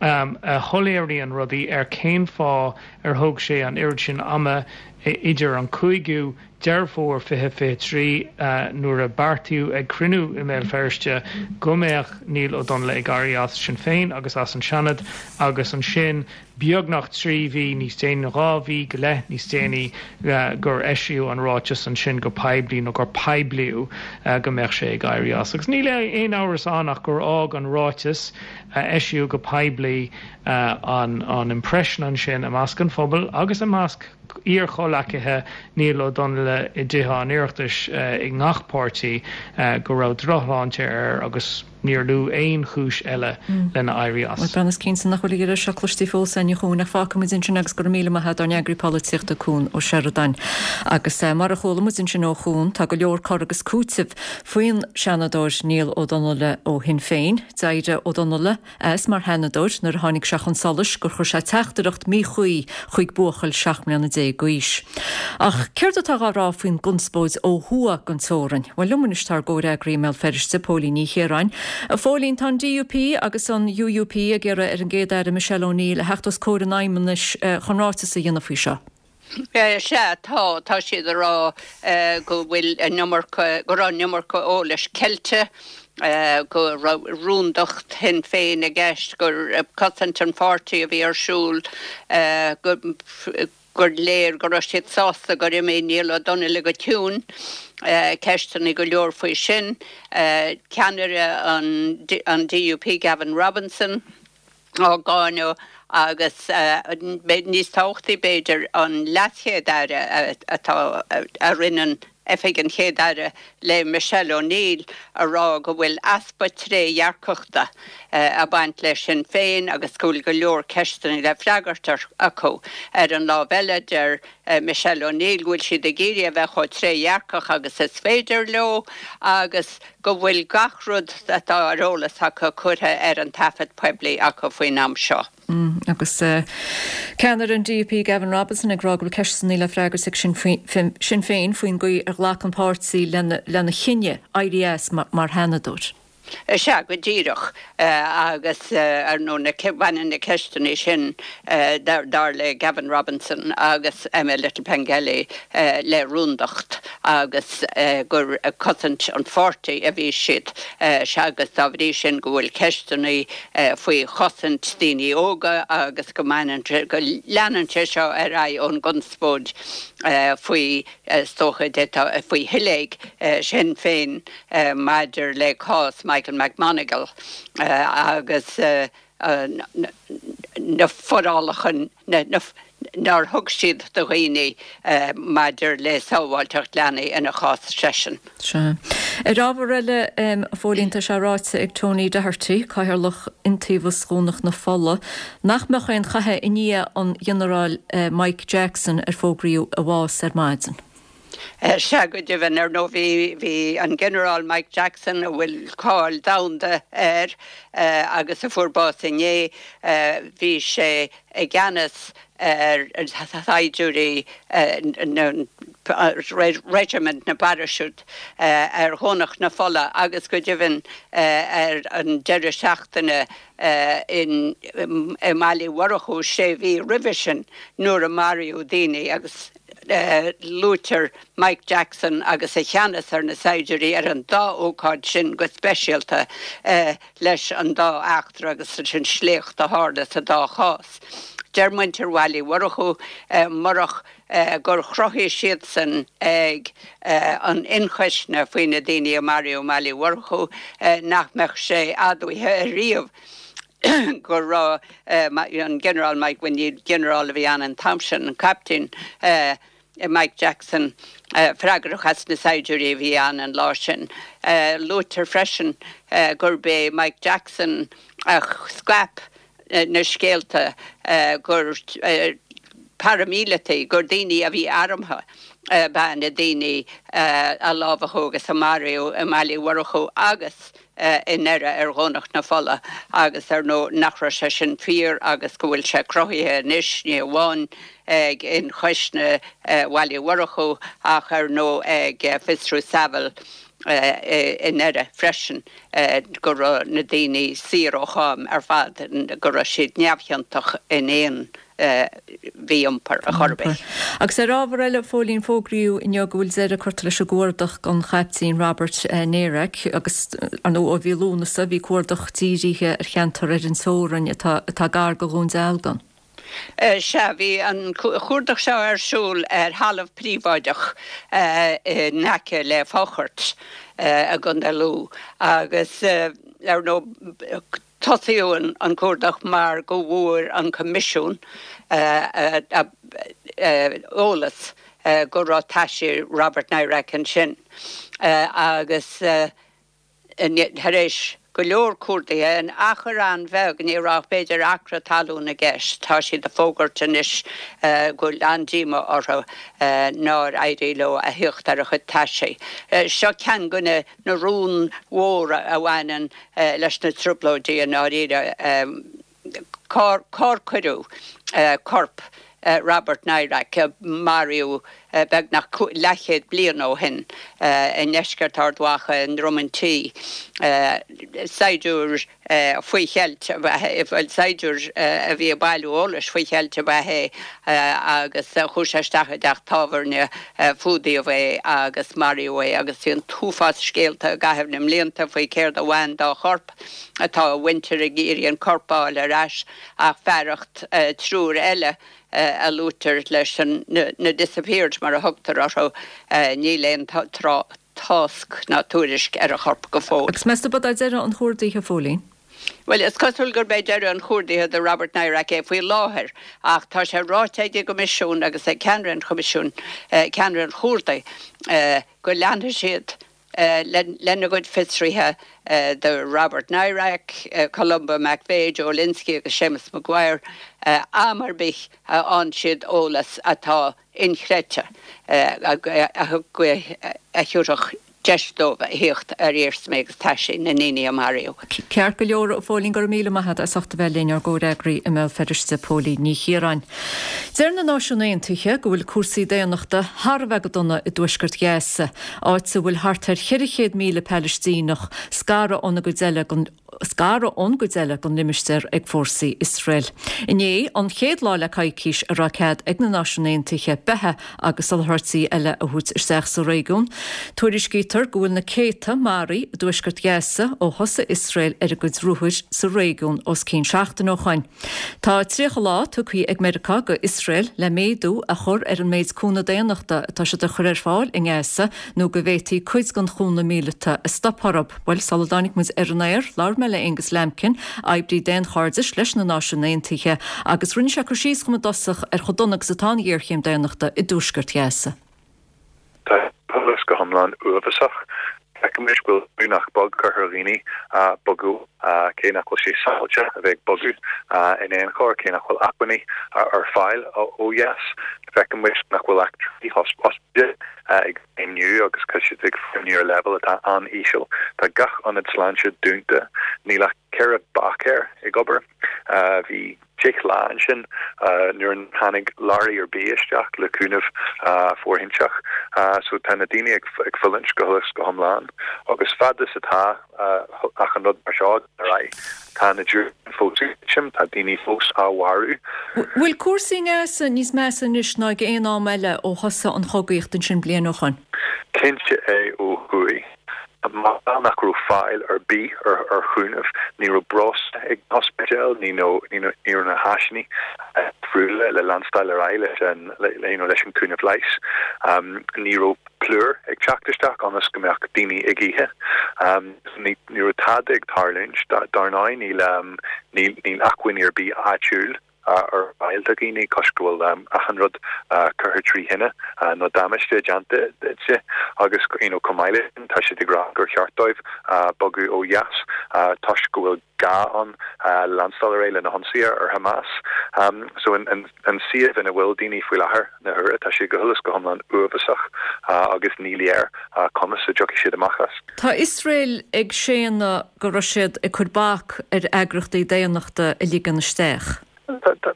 a shoiléiríonn rudaí ar cén fáth ar thóg sé an oiread sin ama idir an 5ú Deireadh Fómhair 2023, nuair a beartaíodh ag cruinniú i mBéal Feirste go mbeadh Niall Ó Donnghaile ag éirí as Sinn Féin agus as an Seanad, agus ansin beagnach 3 mhí níos déanaí, nó 2 mhí go leith níos déanaí, gur eisíodh an ráiteas ansin go poiblí, nó gur poiblíodh go mbeadh sé ag éirí as. Agus níl aon amhras ann ach gur fhág an ráiteas a eisíodh go poiblí an impression ansin i measc an phobail agus i measc iar-chomhleacaithe Niall Ó Donnghaile i dTithe an Oireachtais i ngach páirtí go raibh drochshláinte air agus níor luadh aon chúis eile lena éirí as. Bhuel, is cinnte nach bhfuil a dheireadh seo cloiste fós againn a Chuain ach fágfaidh muid ansin agus go raibh míle maith agat dár n-eagraí polaitíochta Cuan Ó Seireadáin. Agus mar a chuala muid ansin ó Chuan, tá go leor cur agus cúiteamh faoin Seanadóir Niall Ó Donnghaile ó Shinn Féin. D'éirigh Ó Donnghaile as mar Sheanadóir nuair a tháinig sé chun solais gur chuir sé teachtaireacht míchuí chuig buachaill 17 mbliana d'aois. Ach céard atá á rá faoin gconspóid ó thuaidh den teorainn? Bhuel, liom anois tá ár gcomhfhreagraí i mBéal Feirste, Póilín Ní Chiaráin. A Phóilín, tá an DUP agus an UUP ag iarraidh ar an gCéad-Aire Michelle O'Neill a theacht os comhair an Fheidhmeannais chun ráiteas a dhéanamh faoi seo. Sea, tá. Tá siad ag rá go bhfuil an iomarca, go raibh an iomarca eolais ceilte, go raibh rúndacht Shinn Féin i gceist, gur cosaint an pháirtí a bhí ar siúl, gur léir go raibh siad sásta gur imigh Niall Ó Donnghaile go ciúin. Ceisteanna go leor faoi sin. Ceannaire an DUP, Gavin Robinson, á gcáineadh agus, níos tábhachtaí b'fhéidir, an LeasChéad-Aire atá, a roinneann oifig an Chéad-Aire le Michelle O'Neill, a rá go bhfuil easpa trédhearcachta ag baint le Sinn Féin agus go bhfuil go leor ceisteanna le freagairt acu. Ar an lámh eile, deir Michelle O'Neill go bhfuil siad ag iarraidh a bheith chomh trédhearcach agus is féidir leo agus go bhfuil gach rud atá ar eolas acu curtha ar an taifead poiblí acu faoin am seo. Agus ceannaire an DUP Gavin Robinson ag rá go bhfuil ceisteanna le freagairt ag Sinn Féin faoin gcaoi ar ghlac an páirtí lena chinneadh éirí as mar Sheanadóir. Sea, go díreach. Agus, ar ndóigh, baineann na ceisteanna sin, dar le Gavin Robinson agus Emma Little-Pengelly, le rúndacht agus gur ag cosaint an pháirtí a bhí siad. Sea, agus dá bhrí sin go bhfuil ceisteanna faoi chosaint daoine óga agus go mbaineann sé, go leanann sé seo ar aghaidh ón gconspóid faoi, is dócha, faoi shiléig Shinn Féin maidir le cás Michael McMonagle agus na forálacha nár thug siad do dhaoine maidir le sábháilteacht leanaí ina chás seisean. Sea. Ar ábhar eile, a Phóilín, tá sé ráite ag Tony Doherty, Cathaoirleach Iontaobhas Dhomhnach na Fola, nach mbeadh aon chath i ndiaidh an Ghinearáil Mike Jackson ar fógraíodh a bhás ar maidin. Sea, go deimhin. Ar ndóigh, bhí, bhí an Ginearál Mike Jackson, a bhfuil cáil domhanda air agus a fuair bás inné, bhí sé i gceannas ar shaighdiúirí Reisimint na bParaisiút ar Dhomhnach na Fola agus go deimhin ar an deireadh seachtaine i mBaile Uí Mhurchú sé mhí roimhe sin nuair a maraíodh daoine agus luaitear Mike Jackson agus a cheannas ar na saighdiúirí ar an dá ócáid sin go speisialta leis an dá eachtra agus leis an sléacht a tharla sa dá chás. Deir muintir Bhaile Uí Mhurchú murach gur chruthaigh siadsan ag an ionchoisne faoi na daoine a maraíodh i mBaile Uí Mhurchú nach mbeadh sé admhaithe ariamh go raibh an Ginearál Mike, bhuel ní ginearál a bhí ann an t-am sin, an Captaen, Mike Jackson freagrach as na saighdiúirí a bhí ann an lá sin. Luaitear freisin gurb é Mike Jackson a scaip na scéalta gur paraimíleataigh, gur daoine a bhí armtha ab ea na daoine a lámhachadh agus a maraíodh i mBaile Uí Mhurchú agus i nDoire ar Dhomhnach na Fola agus ar ndóigh nach raibh sé sin fíor agus go bhfuil sé cruthaithe anois, ní amháin ag ionchoisne Bhaile Uí Mhurchú ach ar ndóigh ag fiosrú Saville i nDoire freisin go raibh na daoine saor ó cháim ar fad, go raibh siad neamhchiontach in aon mhí-iompar ar chor ar bith. Agus ar ábhar eile, a Phóilín, fógraíodh inniu go bhfuil deireadh curtha leis an gcuardach don Chaiptín Robert Nairac agus, ar ndóigh, ó mhí Lúnasa bhí cuardach dírithe ar cheantar ar an teorainn atá atá gar do Dhún Dealgan. Sea, bhí an cuardach seo ar siúl ar thalamh príobháideach in aice le Fáchairt i gContae Lú agus, ar ndóigh, Tosaíodh an cuardach mar go bhfuair an Coimisiún eolas go raibh taisí Robert Nairac ansin agus tar éis go leor cuardaithe in achar an-bheag, ní raibh ach b'fhéidir acra talún i gceist, tá siad ag fógairt anois go bhfuil an-díomá orthu nár éirigh leo a thíocht ar a chuid taisí. Seo ceann de na na rúin mhóra a bhaineann leis na Trioblóidí i ndáiríre. Cár cuireadh corp Robert Nairac, a maraíodh beagnach leathchéad bliain ó shin i ndeisceart Ard Mhacha i nDroim an Tí? Saighdiúir faoi cheilt ab ea é, bhuel, saighdiúir a bhí ag bailiú eolais faoi cheilt ab ea é agus chuaigh sé isteach i dteach tábhairne, fuadaíodh é agus maraíodh é agus bhí an t-uafás scéalta i gcaitheamh na mblianta faoi céard a bhain dá chorp. Tá a mhuintir ag iarraidh an corp a fháil ar ais ach fearacht triúr eile a luaitear leis an, na disappeared mar a thugtar orthu, níl aon tráth. tásc ná tuairisc ar a chorp go fóill. Agus meas tú arbh é deireadh an chuardaithe, a Phóilín? Bhuel, is cosúil gurb é deireadh an chuardaithe do Robert Nairac é faoi láthair, ach tá sé ráite ag an gCoimisiún agus ag ceannaire an Choimisiúin, ceannaire an chuardaigh, go leanfaidh siad lena gcuid fiosruithe do Robert Nairac, Columba McVeigh, Joe Lynskey agus Séamus Maguire am ar bith a fhaigheann siad eolas atá inchreidte a thabharfadh deis dóibh a thíocht ar iarsmaí agus taisí na ndaoine a maraíodh. Ceart go leor, a Phóilín, go raibh míle maith agat as ucht a bheith linn, ár gcomhfhreagraí i mBéal Feirste, Póilín Ní Chiaráin. Deir na Náisiúin Aontaithe go bhfuil cúrsaí daonnachta thar a bheith go dona i dtuaisceart Ghaza, áit a bhfuil thart ar 400,000 Palaistíneach scartha óna gcuid eile den scaradh ón gcuid eile den limistéar ag fórsaí Iosrael. Inné an chéad lá le coicís a raibh cead ag na Náisiúin Aontaithe beatha agus soláthairtí eile a thabhairt isteach sa réigiún. Tuairiscítear go bhfuil na céadta maraithe i dtuaisceart Ghaza ó thosaigh Iosrael ar a gcuid ruathair sa réigiún os cionn seachtain ó shoin. Tá 30 lá tugtha ag Meiriceá go Iosrael le méadú a chur ar an méid cúnamh daonnachta atá siad a chur ar fáil i nGaza nó go bhféadfaí cuid den chúnamh míleata a stopadh orthu. Bhuel, sula dtáinig muid ar an aer, labhair mé le Aonghus Lambkin, oibrí daonchairdis leis na Náisiúin Aontaithe, agus rinne sé cur síos dhom i dtosach ar chomh dona agus atá an ghéarchéim daonnachta i dtuaisceart Ghaza. Tá an pobal go hiomlán uafásach. Feicimid go bhfuil brú nach beag curtha ar dhaoine bogadh, cé nach bhfuil sé sábháilte a bheith ag bogadh in aon chor, cé nach bhfuil acmhainní ar fáil ó dheas. Feicimid nach bhfuil ach 3 ospidéal ag feidhmiú agus tá siad ag feidhmiú ar leibhéal atá an-íseal. Tá gach ionad sláinte dúnta, níl ach 4 báicéir ag obair. Bhí 10 lá ansin nuair nár tháinig leoraí ar bith isteach le cúnamh fóirithinte. So tá na daoine ag fulaingt go huile is go hiomlán agus fad is atá achan rud mar seo ar aghaidh, tá na diúracáin fós ag titim, tá daoine fós á mharú. Bhfuil cúrsaí i nGaza níos measa anois ná ag aon am eile ó thosaigh an chogaíocht ansin bliain ó shoin? Cinnte é ó thuaidh. Mar nach raibh fáil ar bith ar chúnamh, ní raibh breosla ag na hospidéil, ní raibh na háiseanna difriúla le leanstáil ar aghaidh leis an leis an cúnamh leighis. Ní raibh plúr ag teacht isteach ionas go mbeadh daoine ag ithe. Ní raibh tada ag tarlúint. Dar ndóigh níl níl acmhainní ar bith áitiúil. ar fáil do dhaoine toisc go bhfuil achan rud curtha trí thine nó damáiste déanta di agus you know chomh maith leis sin tá siad ag rá gur cheart dóibh bogadh ó dheas toisc go bhfuil gá ann leanstáil ar aghaidh le na hionsaithe ar Hamas. So an suíomh ina bhfuil daoine faoi láthair na huaire tá sé go huile is go hiomlán uafásach agus ní léir conas a dtiocfaidh siad amach as. Tá Iosrael ag séanadh go raibh siad ag cur bac ar eagraíochtaí daonnachta a ligean isteach.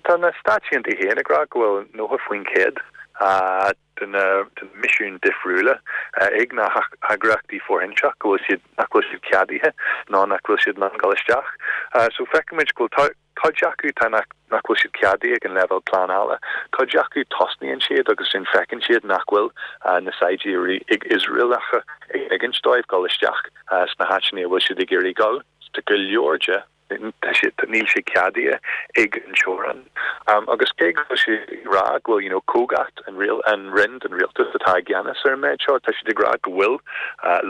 Tá na Stáit Aontaithe féin ag rá go bhfuil 90% de na misiúin difriúla ag na heagraíochtaí fóirithinte go bhfuil siad, nach bhfuil siad ceadaithe nó nach bhfuil siad in ann dul isteach. So feicimid go bhfuil cuid acu tá nach nach bhfuil siad ceadaithe ag an leibhéal pleanála. Cuid acu tosnaíonn siad agus ansin feiceann siad nach bhfuil na saighdiúirí Iosraelacha ag ligint dóibh dul isteach sna háiteanna a bhfuil siad ag iarraidh dul. Tá go leor de, tá siad, níl sé ceadaithe ag an teorainn. Agus cé go bhfuil siad ag rá go bhfuil you know Cogat an riail, an roinn den rialtas atá i gceannas ar an méid seo, tá siad ag rá go bhfuil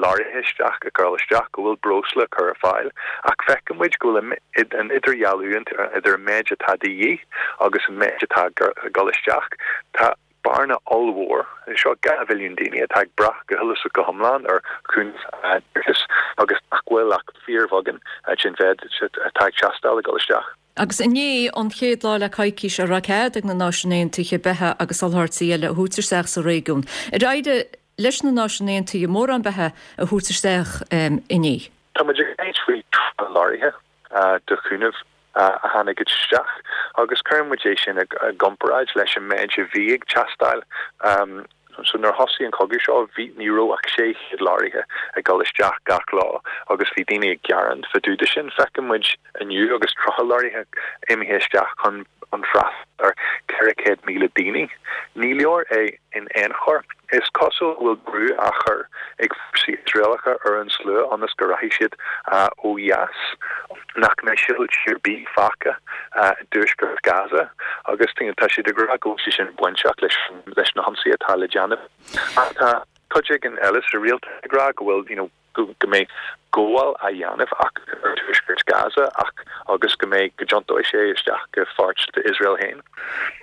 leoraithe isteach ag dul isteach, go bhfuil breosla curtha ar fáil, ach feiceann muid go bhfuil an idirdhealú idir an méid atá de dhíth agus an méid atá ag dul isteach. Tá bearna ollmhór anseo, 2 mhilliún daoine atá ag brath go huile is go hiomlán ar chúnamh airgeadais agus nach bhfuil ach fíorbheagán den mhéid atá ag teastáil ag dul isteach. Agus inné an chéad lá le coicís a raibh cead ag na Náisiúin Aontaithe beatha agus soláthairtí eile a thabhairt isteach sa réigiún. Ar éirigh leis na Náisiúin Aontaithe mórán beatha a thabhairt isteach inné? Tá muid ag caint faoi 30 leoraithe de chúnamh a tháinig isteach agus cuireann muid é sin i gcomparáid leis an méid a bhí ag teastáil. So nuair a thosaigh an cogadh seo bhí, ní raibh ach 600 leoraithe ag dul isteach gach lá agus bhí daoine ag gearán fá dtaobh de sin. Feiceann muid inniu agus 30 leoraithe imithe isteach chun chun freastal ar 400,000 daoine. Ní leor é in aon chor. Is cosúil go bhfuil brú á chur ag fórsaí Iosraelacha ar an slua ionas go rachaidh siad ó dheas, nach mbeidh sibhialtaigh ar bith fágtha i dtuaisceart Gaza agus tá siad ag rá go bhfuil sé sin bainteach leis na hionsaithe atá le déanamh. Ach tá cuid éigin eile sa rialtas ag rá go bhfuil you know go mbeidh gabháil á dhéanamh ach ar tuaisceart Gaza ach agus go mbeidh, go dtiontóidh sé isteach go pháirt d'Iosrael féin.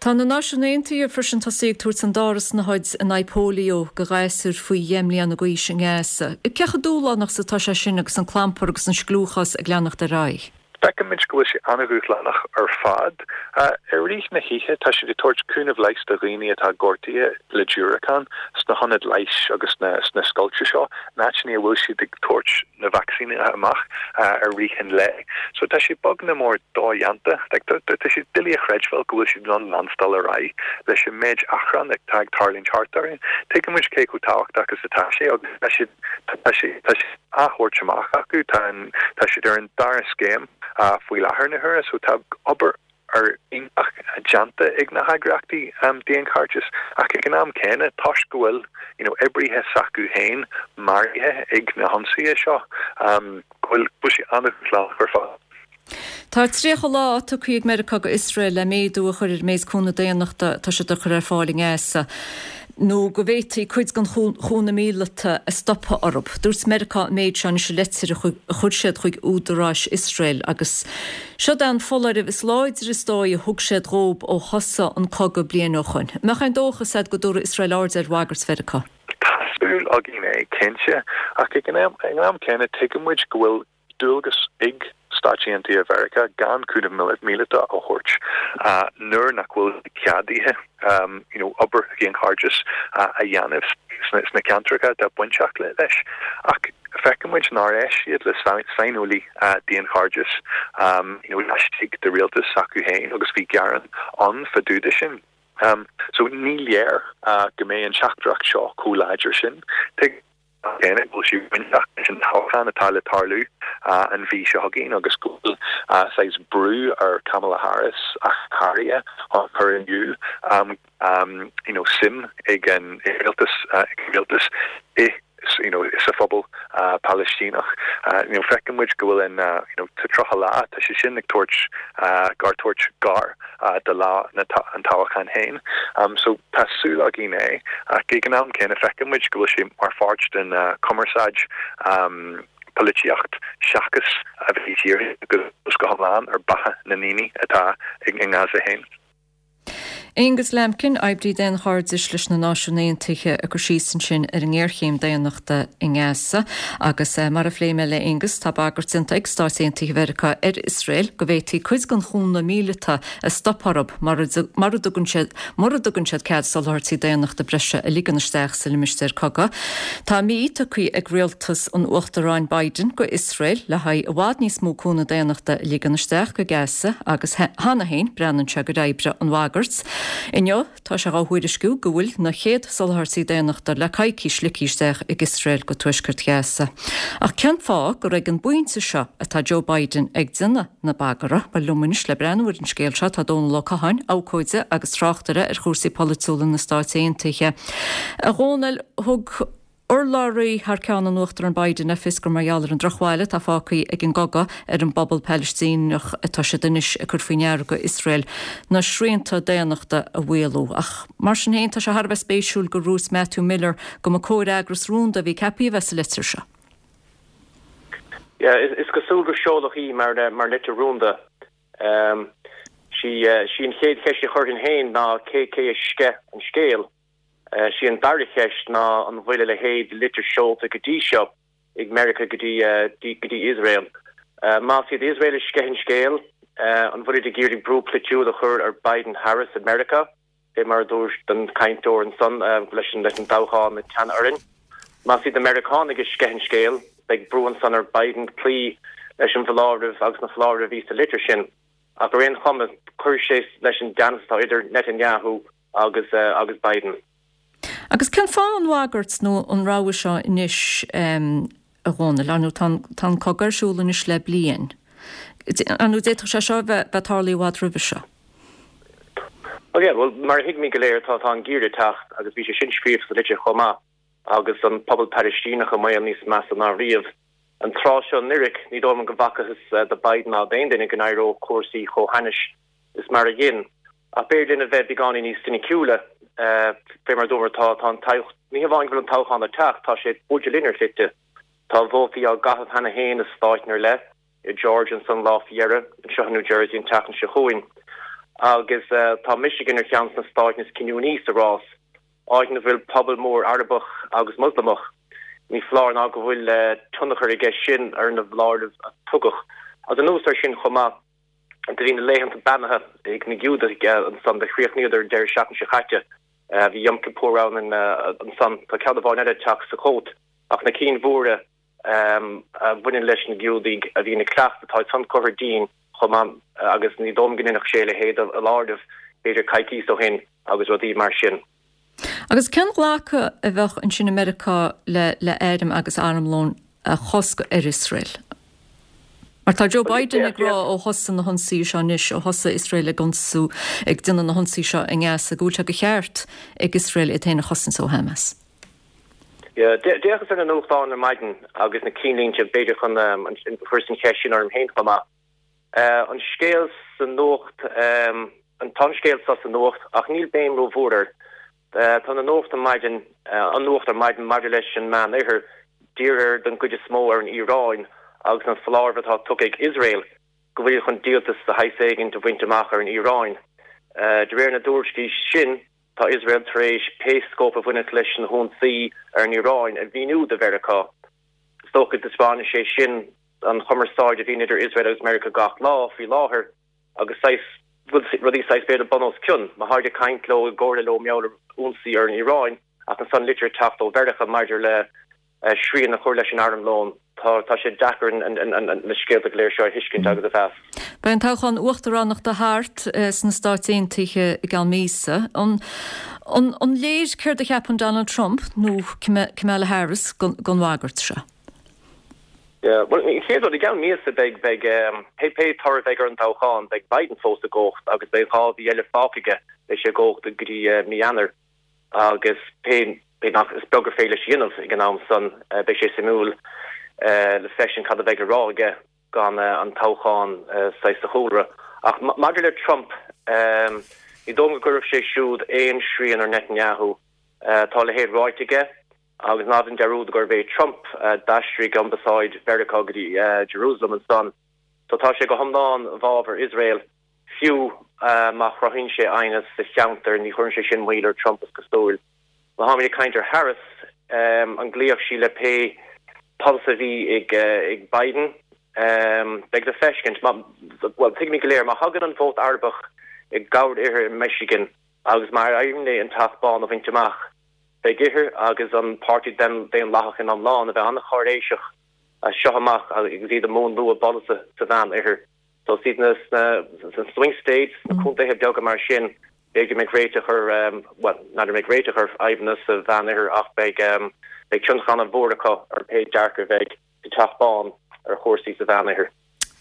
Tá na Náisiúin Aontaithe freisin tosaithe ag tabhairt an dara snáthaid in aghaidh póilíó do ghasúir faoi dheich mbliana d'aois i nGaza. Cé chomh dúshlánach is atá sé sin agus an clampar agus an scliúchás ag leanacht ar aghaidh? Feicimid go bhfuil sé an-dhúshlánach ar fad. I rith na hoíche, tá siad ag tabhairt cúnamh leighis do dhaoine atá gortaithe le diúracáin sna hionaid leighis agus sna scoilte seo, in áiteanna a bhfuil siad ag tabhairt na vacsaíní amach i rith an lae. So tá sé beag nó mór dodhéanta. Tá sé doiligh a chreidbheáil go bhfuil siad in ann leanstáil ar aghaidh leis an méid achrann atá ag tarlúint thart orainn. Tuigeann muid cé chomh tábhachtach is atá sé agus tá siad, tá sé, tá sé. á thabhairt amach acu. Tá an, tá siad ar an dara scéim faoi láthair na huaire so tá obair ar iontach déanta ag na heagraíochtaí daonchairdis ach ag an am céanna toisc go bhfuil you know oibrithe s'acu féin maraithe ag na hionsaithe seo go bhfuil, go bhfuil sé an-dhúshlánach ar fad. Tá 30 lá tugtha ag Meiriceá go Iosrael le méadú a chur ar an méid cúnamh daonnachta atá siad a chur ar fáil i nGaza nó go bhféadfaí cuid den chúnamh míleata a stopadh orthu. Dúirt Meiriceá an méid seo anois i leitir a chuir siad chuig údaráis Iosrael agus seod é an foláireamh is láidre is dóigh a thug siad dhóib ó thosaigh an cogadh bliain ó shoin. An mbeadh aon dóchas agat go dtabharfaidh Iosrael aird ar bhagairt Mheiriceá? Tá súil. againn é, cinnte, ach ag an am céanna tuigeann muid go bhfuil dualgas ag Stáit Aontaithe Mheiriceá gan cúnamh míleata a thabhairt nuair nach bhfuil ceadaithe you know obair dhaonchairdis a dhéanamh sna ceantracha atá bainteach leis. Ach feiceann muid nár éist siad le saineolaí daonchairdis you know laistigh de rialtas s'acu féin agus bhí gearán ann fá dtaobh de sin. So ní léir go mbeidh an teachtaireacht seo chomh láidir sin. Céanna go bhfuil sé bainteach leis an toghchán atá le tarlú an mhí seo chugainn agus go bhfuil saghas brú ar Kamala Harris ach go háirithe chun cur in iúl you know suim ag an rialtas ag an rialtas i you know sa phobal Palaistíneach. You know feiceann muid go bhfuil an you know tá 30 lá tá sé sin ag tabhairt gar tabhairt gar do lá an toghcháin féin. So tá súil againn é, ach ag an am céanna feiceann muid go bhfuil sé mar pháirt den chumarsáid polaitíocht seachas a bheith dírithe go hiomlán ar beatha na ndaoine atá i nGaza féin. Aonghus Lambkin, oibrí daonchairdis leis na Náisiúin Aontaithe ag cur síos ansin ar an ngéarchéim daonnachta i nGaza. Agus mar a phléigh mé le Aonghus, tá bagairt déanta ag Stáit Aontaithe Mheiriceá ar Iosrael go bhféadfaí cuid den chúnamh míleata a stop orthu mura dtugann siad mura dtugann siad cead soláthairtí daonnachta breise a ligean isteach sa limistéar cogaidh. Tá mí tugtha ag rialtas an Uachtaráin Biden go Iosrael le haghaidh i bhfad níos mó cúnamh daonnachta a ligean isteach go Gaza agus cheana féin breathnaíonn sé gur oibrigh an bhagairt. Inniu tá sé dhá thuairisciú go bhfuil na chéad soláthairtí daonnachta le coicís ligthe isteach ag Iosrael go tuaisceart Ghaza. Ach cén fáth gur ag an bpointe seo atá Joe Biden ag déanamh na bagartha? Bhuel, liom anois le breathnú ar an scéal seo tá Dónal Ó Catháin, abhcóide agus tráchtaire ar chúrsaí polaitiúla na Stáit Aontaithe. A Dhónaill, thug Urlabhraí thar ceann an Uachtaráin Biden le fios gur mar gheall ar an drochbhail atá fágtha ag an gcogadh ar an bpobal Palaistíneach atá siad anois ag cur faoi ndeara go Iosrael na srianta daonnachta a mhaolú. Ach mar sin féin, tá sé thar a bheith spéisiúil gur dhúirt Matthew Miller go mba comhfhreagras rúnda a bhí ceaptha a bheith sa litir seo. Yeah, is cosúil gur seoladh í mar litir rúnda. Sí an chéad cheist a chuirfinn féin ná cé cé a sceith an scéal? Sí an dara cheist ná an bhfuil a leithéid de litir seolta go dtí seo ag Meiriceá go dtí go dtí Iosrael. Más iad Iosrael a sceith an scéal, an bhfuilid ag iarraidh brú polaitiúil a chur ar Biden Harris i Meiriceá, fé mar a dúirt an cainteoir ansan leis an leis an toghchán ag teannadh orainn. Más iad na Meiriceánaigh a sceith an scéal, beidh brú ansan ar Biden cloí leis an bhfoláireamh agus na foláirimh a bhí sa litir sin. Ach ar aon chuma, cuirfidh sé leis an dteannas atá idir Netanyahu agus agus Biden. Agus cén fáth an bhagairt nó an rabhadh seo anois, a Dhónaill? Ar ndóigh, tá an, tá an cogadh ar siúl anois le bliain. Ar ndóigh, d'fhéadfadh sé seo a bheith, bheith tarlaithe i bhfad roimhe seo. Ó yeah, bhuel, mar a thuigimid go léir, tá, tá an geimhreadh ag teacht agus bhí sé sin scríofa sa litir chomh maith, agus an pobal Palaistíneach i mbaol níos measa ná riamh. An tráth seo anuraidh, ní dóigh liom go bhfacthas do Biden ná d'aon duine go n-éireodh cúrsaí chomh hainnis is mar a dhein. Ach b'fhéidir linn a bheith beagáinín níos soiniciúla, fé mar a dúramar, tá, tá an toghchán, ní hamháin go bhfuil an toghchán ag teacht, tá sé buailte linn ar shlite. Tá vótaí á gcaitheamh cheana féin i stáit ar leith, i Georgia ansan lá faoi dheireadh, anseo i New Jersey an tseachtain seo chugainn. Agus tá Michigan ar cheann de na stáit is cinniúnaí sa rás, áit ina bhfuil pobal mór Arabach agus Moslamach. Ní foláir ná go bhfuil tionchar aige sin ar na foláirimh a tugadh. Agus anuas air sin chomh maith, Do bhí na laethanta beannaithe ag na Giúdaigh ansan, do chríochnaíodar an deireadh seachtaine seo chaite. Bhí Yom Kippur ann ansan. Tá ceann amháin eile ag teacht Sukkot. Ach na cinn mhóra a bhaineann leis na Giúdaigh a bhíonn ag cleachtadh, tá san curtha dínn chomh maith agus ní dóigh liom go ndéanfadh sé a leithéid de fholáireamh b'fhéidir coicíos ó shin agus rudaí mar sin. Agus cén ghlacadh a bheadh ansin i Meiriceá le le airm agus armlón a chosc ar Iosrael? Mar tá Joe Biden ag rá ó thosaigh na hionsaithe seo anois, ó thosaigh Iosrael ag ionsú, ag déanamh na hionsaí seo i nGaza, go bhfuil sé de cheart ag Iosrael iad féin a chosaint ó Hamas. D'fhéachas ar na nuachtáin ar maidin agus na cinnlínte, b'fhéidir chun, chuireas an cheist sin orm féin chomh maith. An scéal sa nuacht, Tá an scéal seo sa nuacht ach níl béim rómhór air. Tá na nuacht ar maidin, an nuacht ar maidin maidir leis an Meánoirthear dírithe den gcuid is mó ar an Iaráin agus an foláireamh atá tugtha ag Iosrael go bhfuil siad chun díoltas de shaghas éigin a bhaint amach ar an Iaráin. De réir na dtuairiscí sin. Tá Iosrael tar éis pé scóip a bhainfeadh leis na hionsaí ar an Iaráin a mhíniú do Mheiriceá. Is dócha go dtaispeánann sé sin an chumarsáid a bhíonn idir Iosrael agus Meiriceá gach lá faoi láthair agus saghas rudaí saghas b'fhéidir bun os cionn. Má tháid ag caint leo i gcomhairle leo mar gheall ar ionsaí ar an Iaráin ach ansan litir ag teacht ó Mheiriceá maidir le srian a chur leis an armlón. Tá sé deacair na scéalta go léir seo a thuiscint agus a mheas. Beidh an toghchán uachtaránachta thart sna Stáit Aontaithe i gceann míosa. An léir céard a cheapann Donald Trump nó Kamala Harris den bhagairt seo? Bhuel, an chéad rud, i gceann míosa beidh, beidh, pé toradh a bheidh ar an toghchán, beidh Biden fós i gcumhacht agus beidh 2 mhí eile fágtha aige, beidh sé i gcumhacht go dtí mí Eanáir. Agus pé nach, is beag gur féidir leis a dhéanamh ag an am san, beidh sé suimiúil le feiscint cad a bheidh le rá aige gan an toghchán saghas sa chúlra. Ach maidir le Trump, ní dóigh liom go gcuirfeadh sé siúd aon srian ar Netanyahu. Tá a leithéid ráite aige, agus ná déan dearúd gurbh é Trump a d'aistrigh ambasáid Mheiriceá go dtí Jerusalem ansan. So tá sé go hiomlán i bhfabhar Iosrael. Fiú má chruthaíonn sé aighneas sa cheantar, ní chuireann sé sin moill ar Trump, is cosúil. Má táimid ag caint ar Harris, an gcloífeadh sí le pé polasaí a bhí ag Biden? Beidh le feiscint. Bhuel, tuigimid go léir, má thagann an vóta Arabach i gcabhair uirthi i Michigan agus má éiríonn léi an Teach Bán a bhaint amach, beidh uirthi agus an Páirtí Daonlathach ina iomlán a bheith an-cháiréiseach as seo amach agus iad i múnlú a bpolasaithe sa Mheán-Oirthear. So is iad sna swing states, sna contaetha beaga mar sin, b'fhéidir go mbeidh réiteach ar, bhuel, n'fheadar an mbeidh réiteach ar fhadhbanna sa Mheán-Oirthear ach beidh, beidh tionchar an-mhór acu ar pé dearcadh a bheidh sa Teach Bán ar chúrsaí sa Mheán-Oirthear.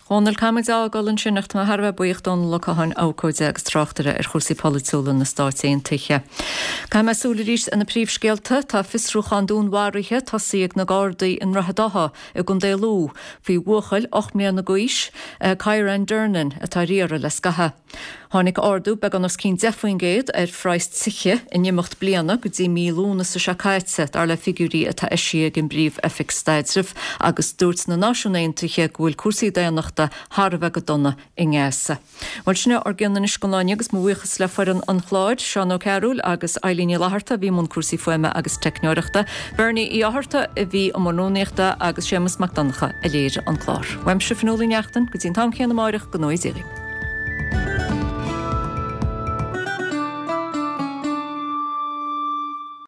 Dhónaill, caithfidh muid a fhágáil ansin ach tá mé thar a bheith buíoch Dónal Ó Catháin, abhcóide agus tráchtaire ar chúrsaí polaitiúla na Stáit Aontaithe. Caithfidh mé súil arís ar na príomhscéalta. Tá fiosrúchán dúnmharaithe tosaithe ag na Gardaí i nDroichead Átha i gContae Lú faoi bhuachaill 8 mbliana d'aois, Kyran Durnin, atá ar iarraidh le scaitheamh. Tháinig ardú beagán os cionn 10% ar phraghas tithe in imeacht bliana go dtí mí Lúnasa seo caite, dar le figiúirí atá eisithe ag an bPríomh-Oifig Staidrimh, agus dúirt na Náisiúin Aontaithe go bhfuil cúrsaí daonnachta thar a bheith go dona i nGaza. Bhuel, sin é ár gcion anois don lá inniu agus mo bhuíochas le foireann an chláir, Seán Ó Cearúil agus Eilín Ní Fhlatharta a bhí i mbun cúrsaí fuaime agus teicneoireachta, Bernie Uí Fhátharta a bhí i mbun rúnaíochta agus Séamus Mac Donncha a léirigh an clár. Uaimse Fionnuala Ní Neachtain, go dtí an t-am céanna amáireach, go ngnóthaí Dia dhaoibh.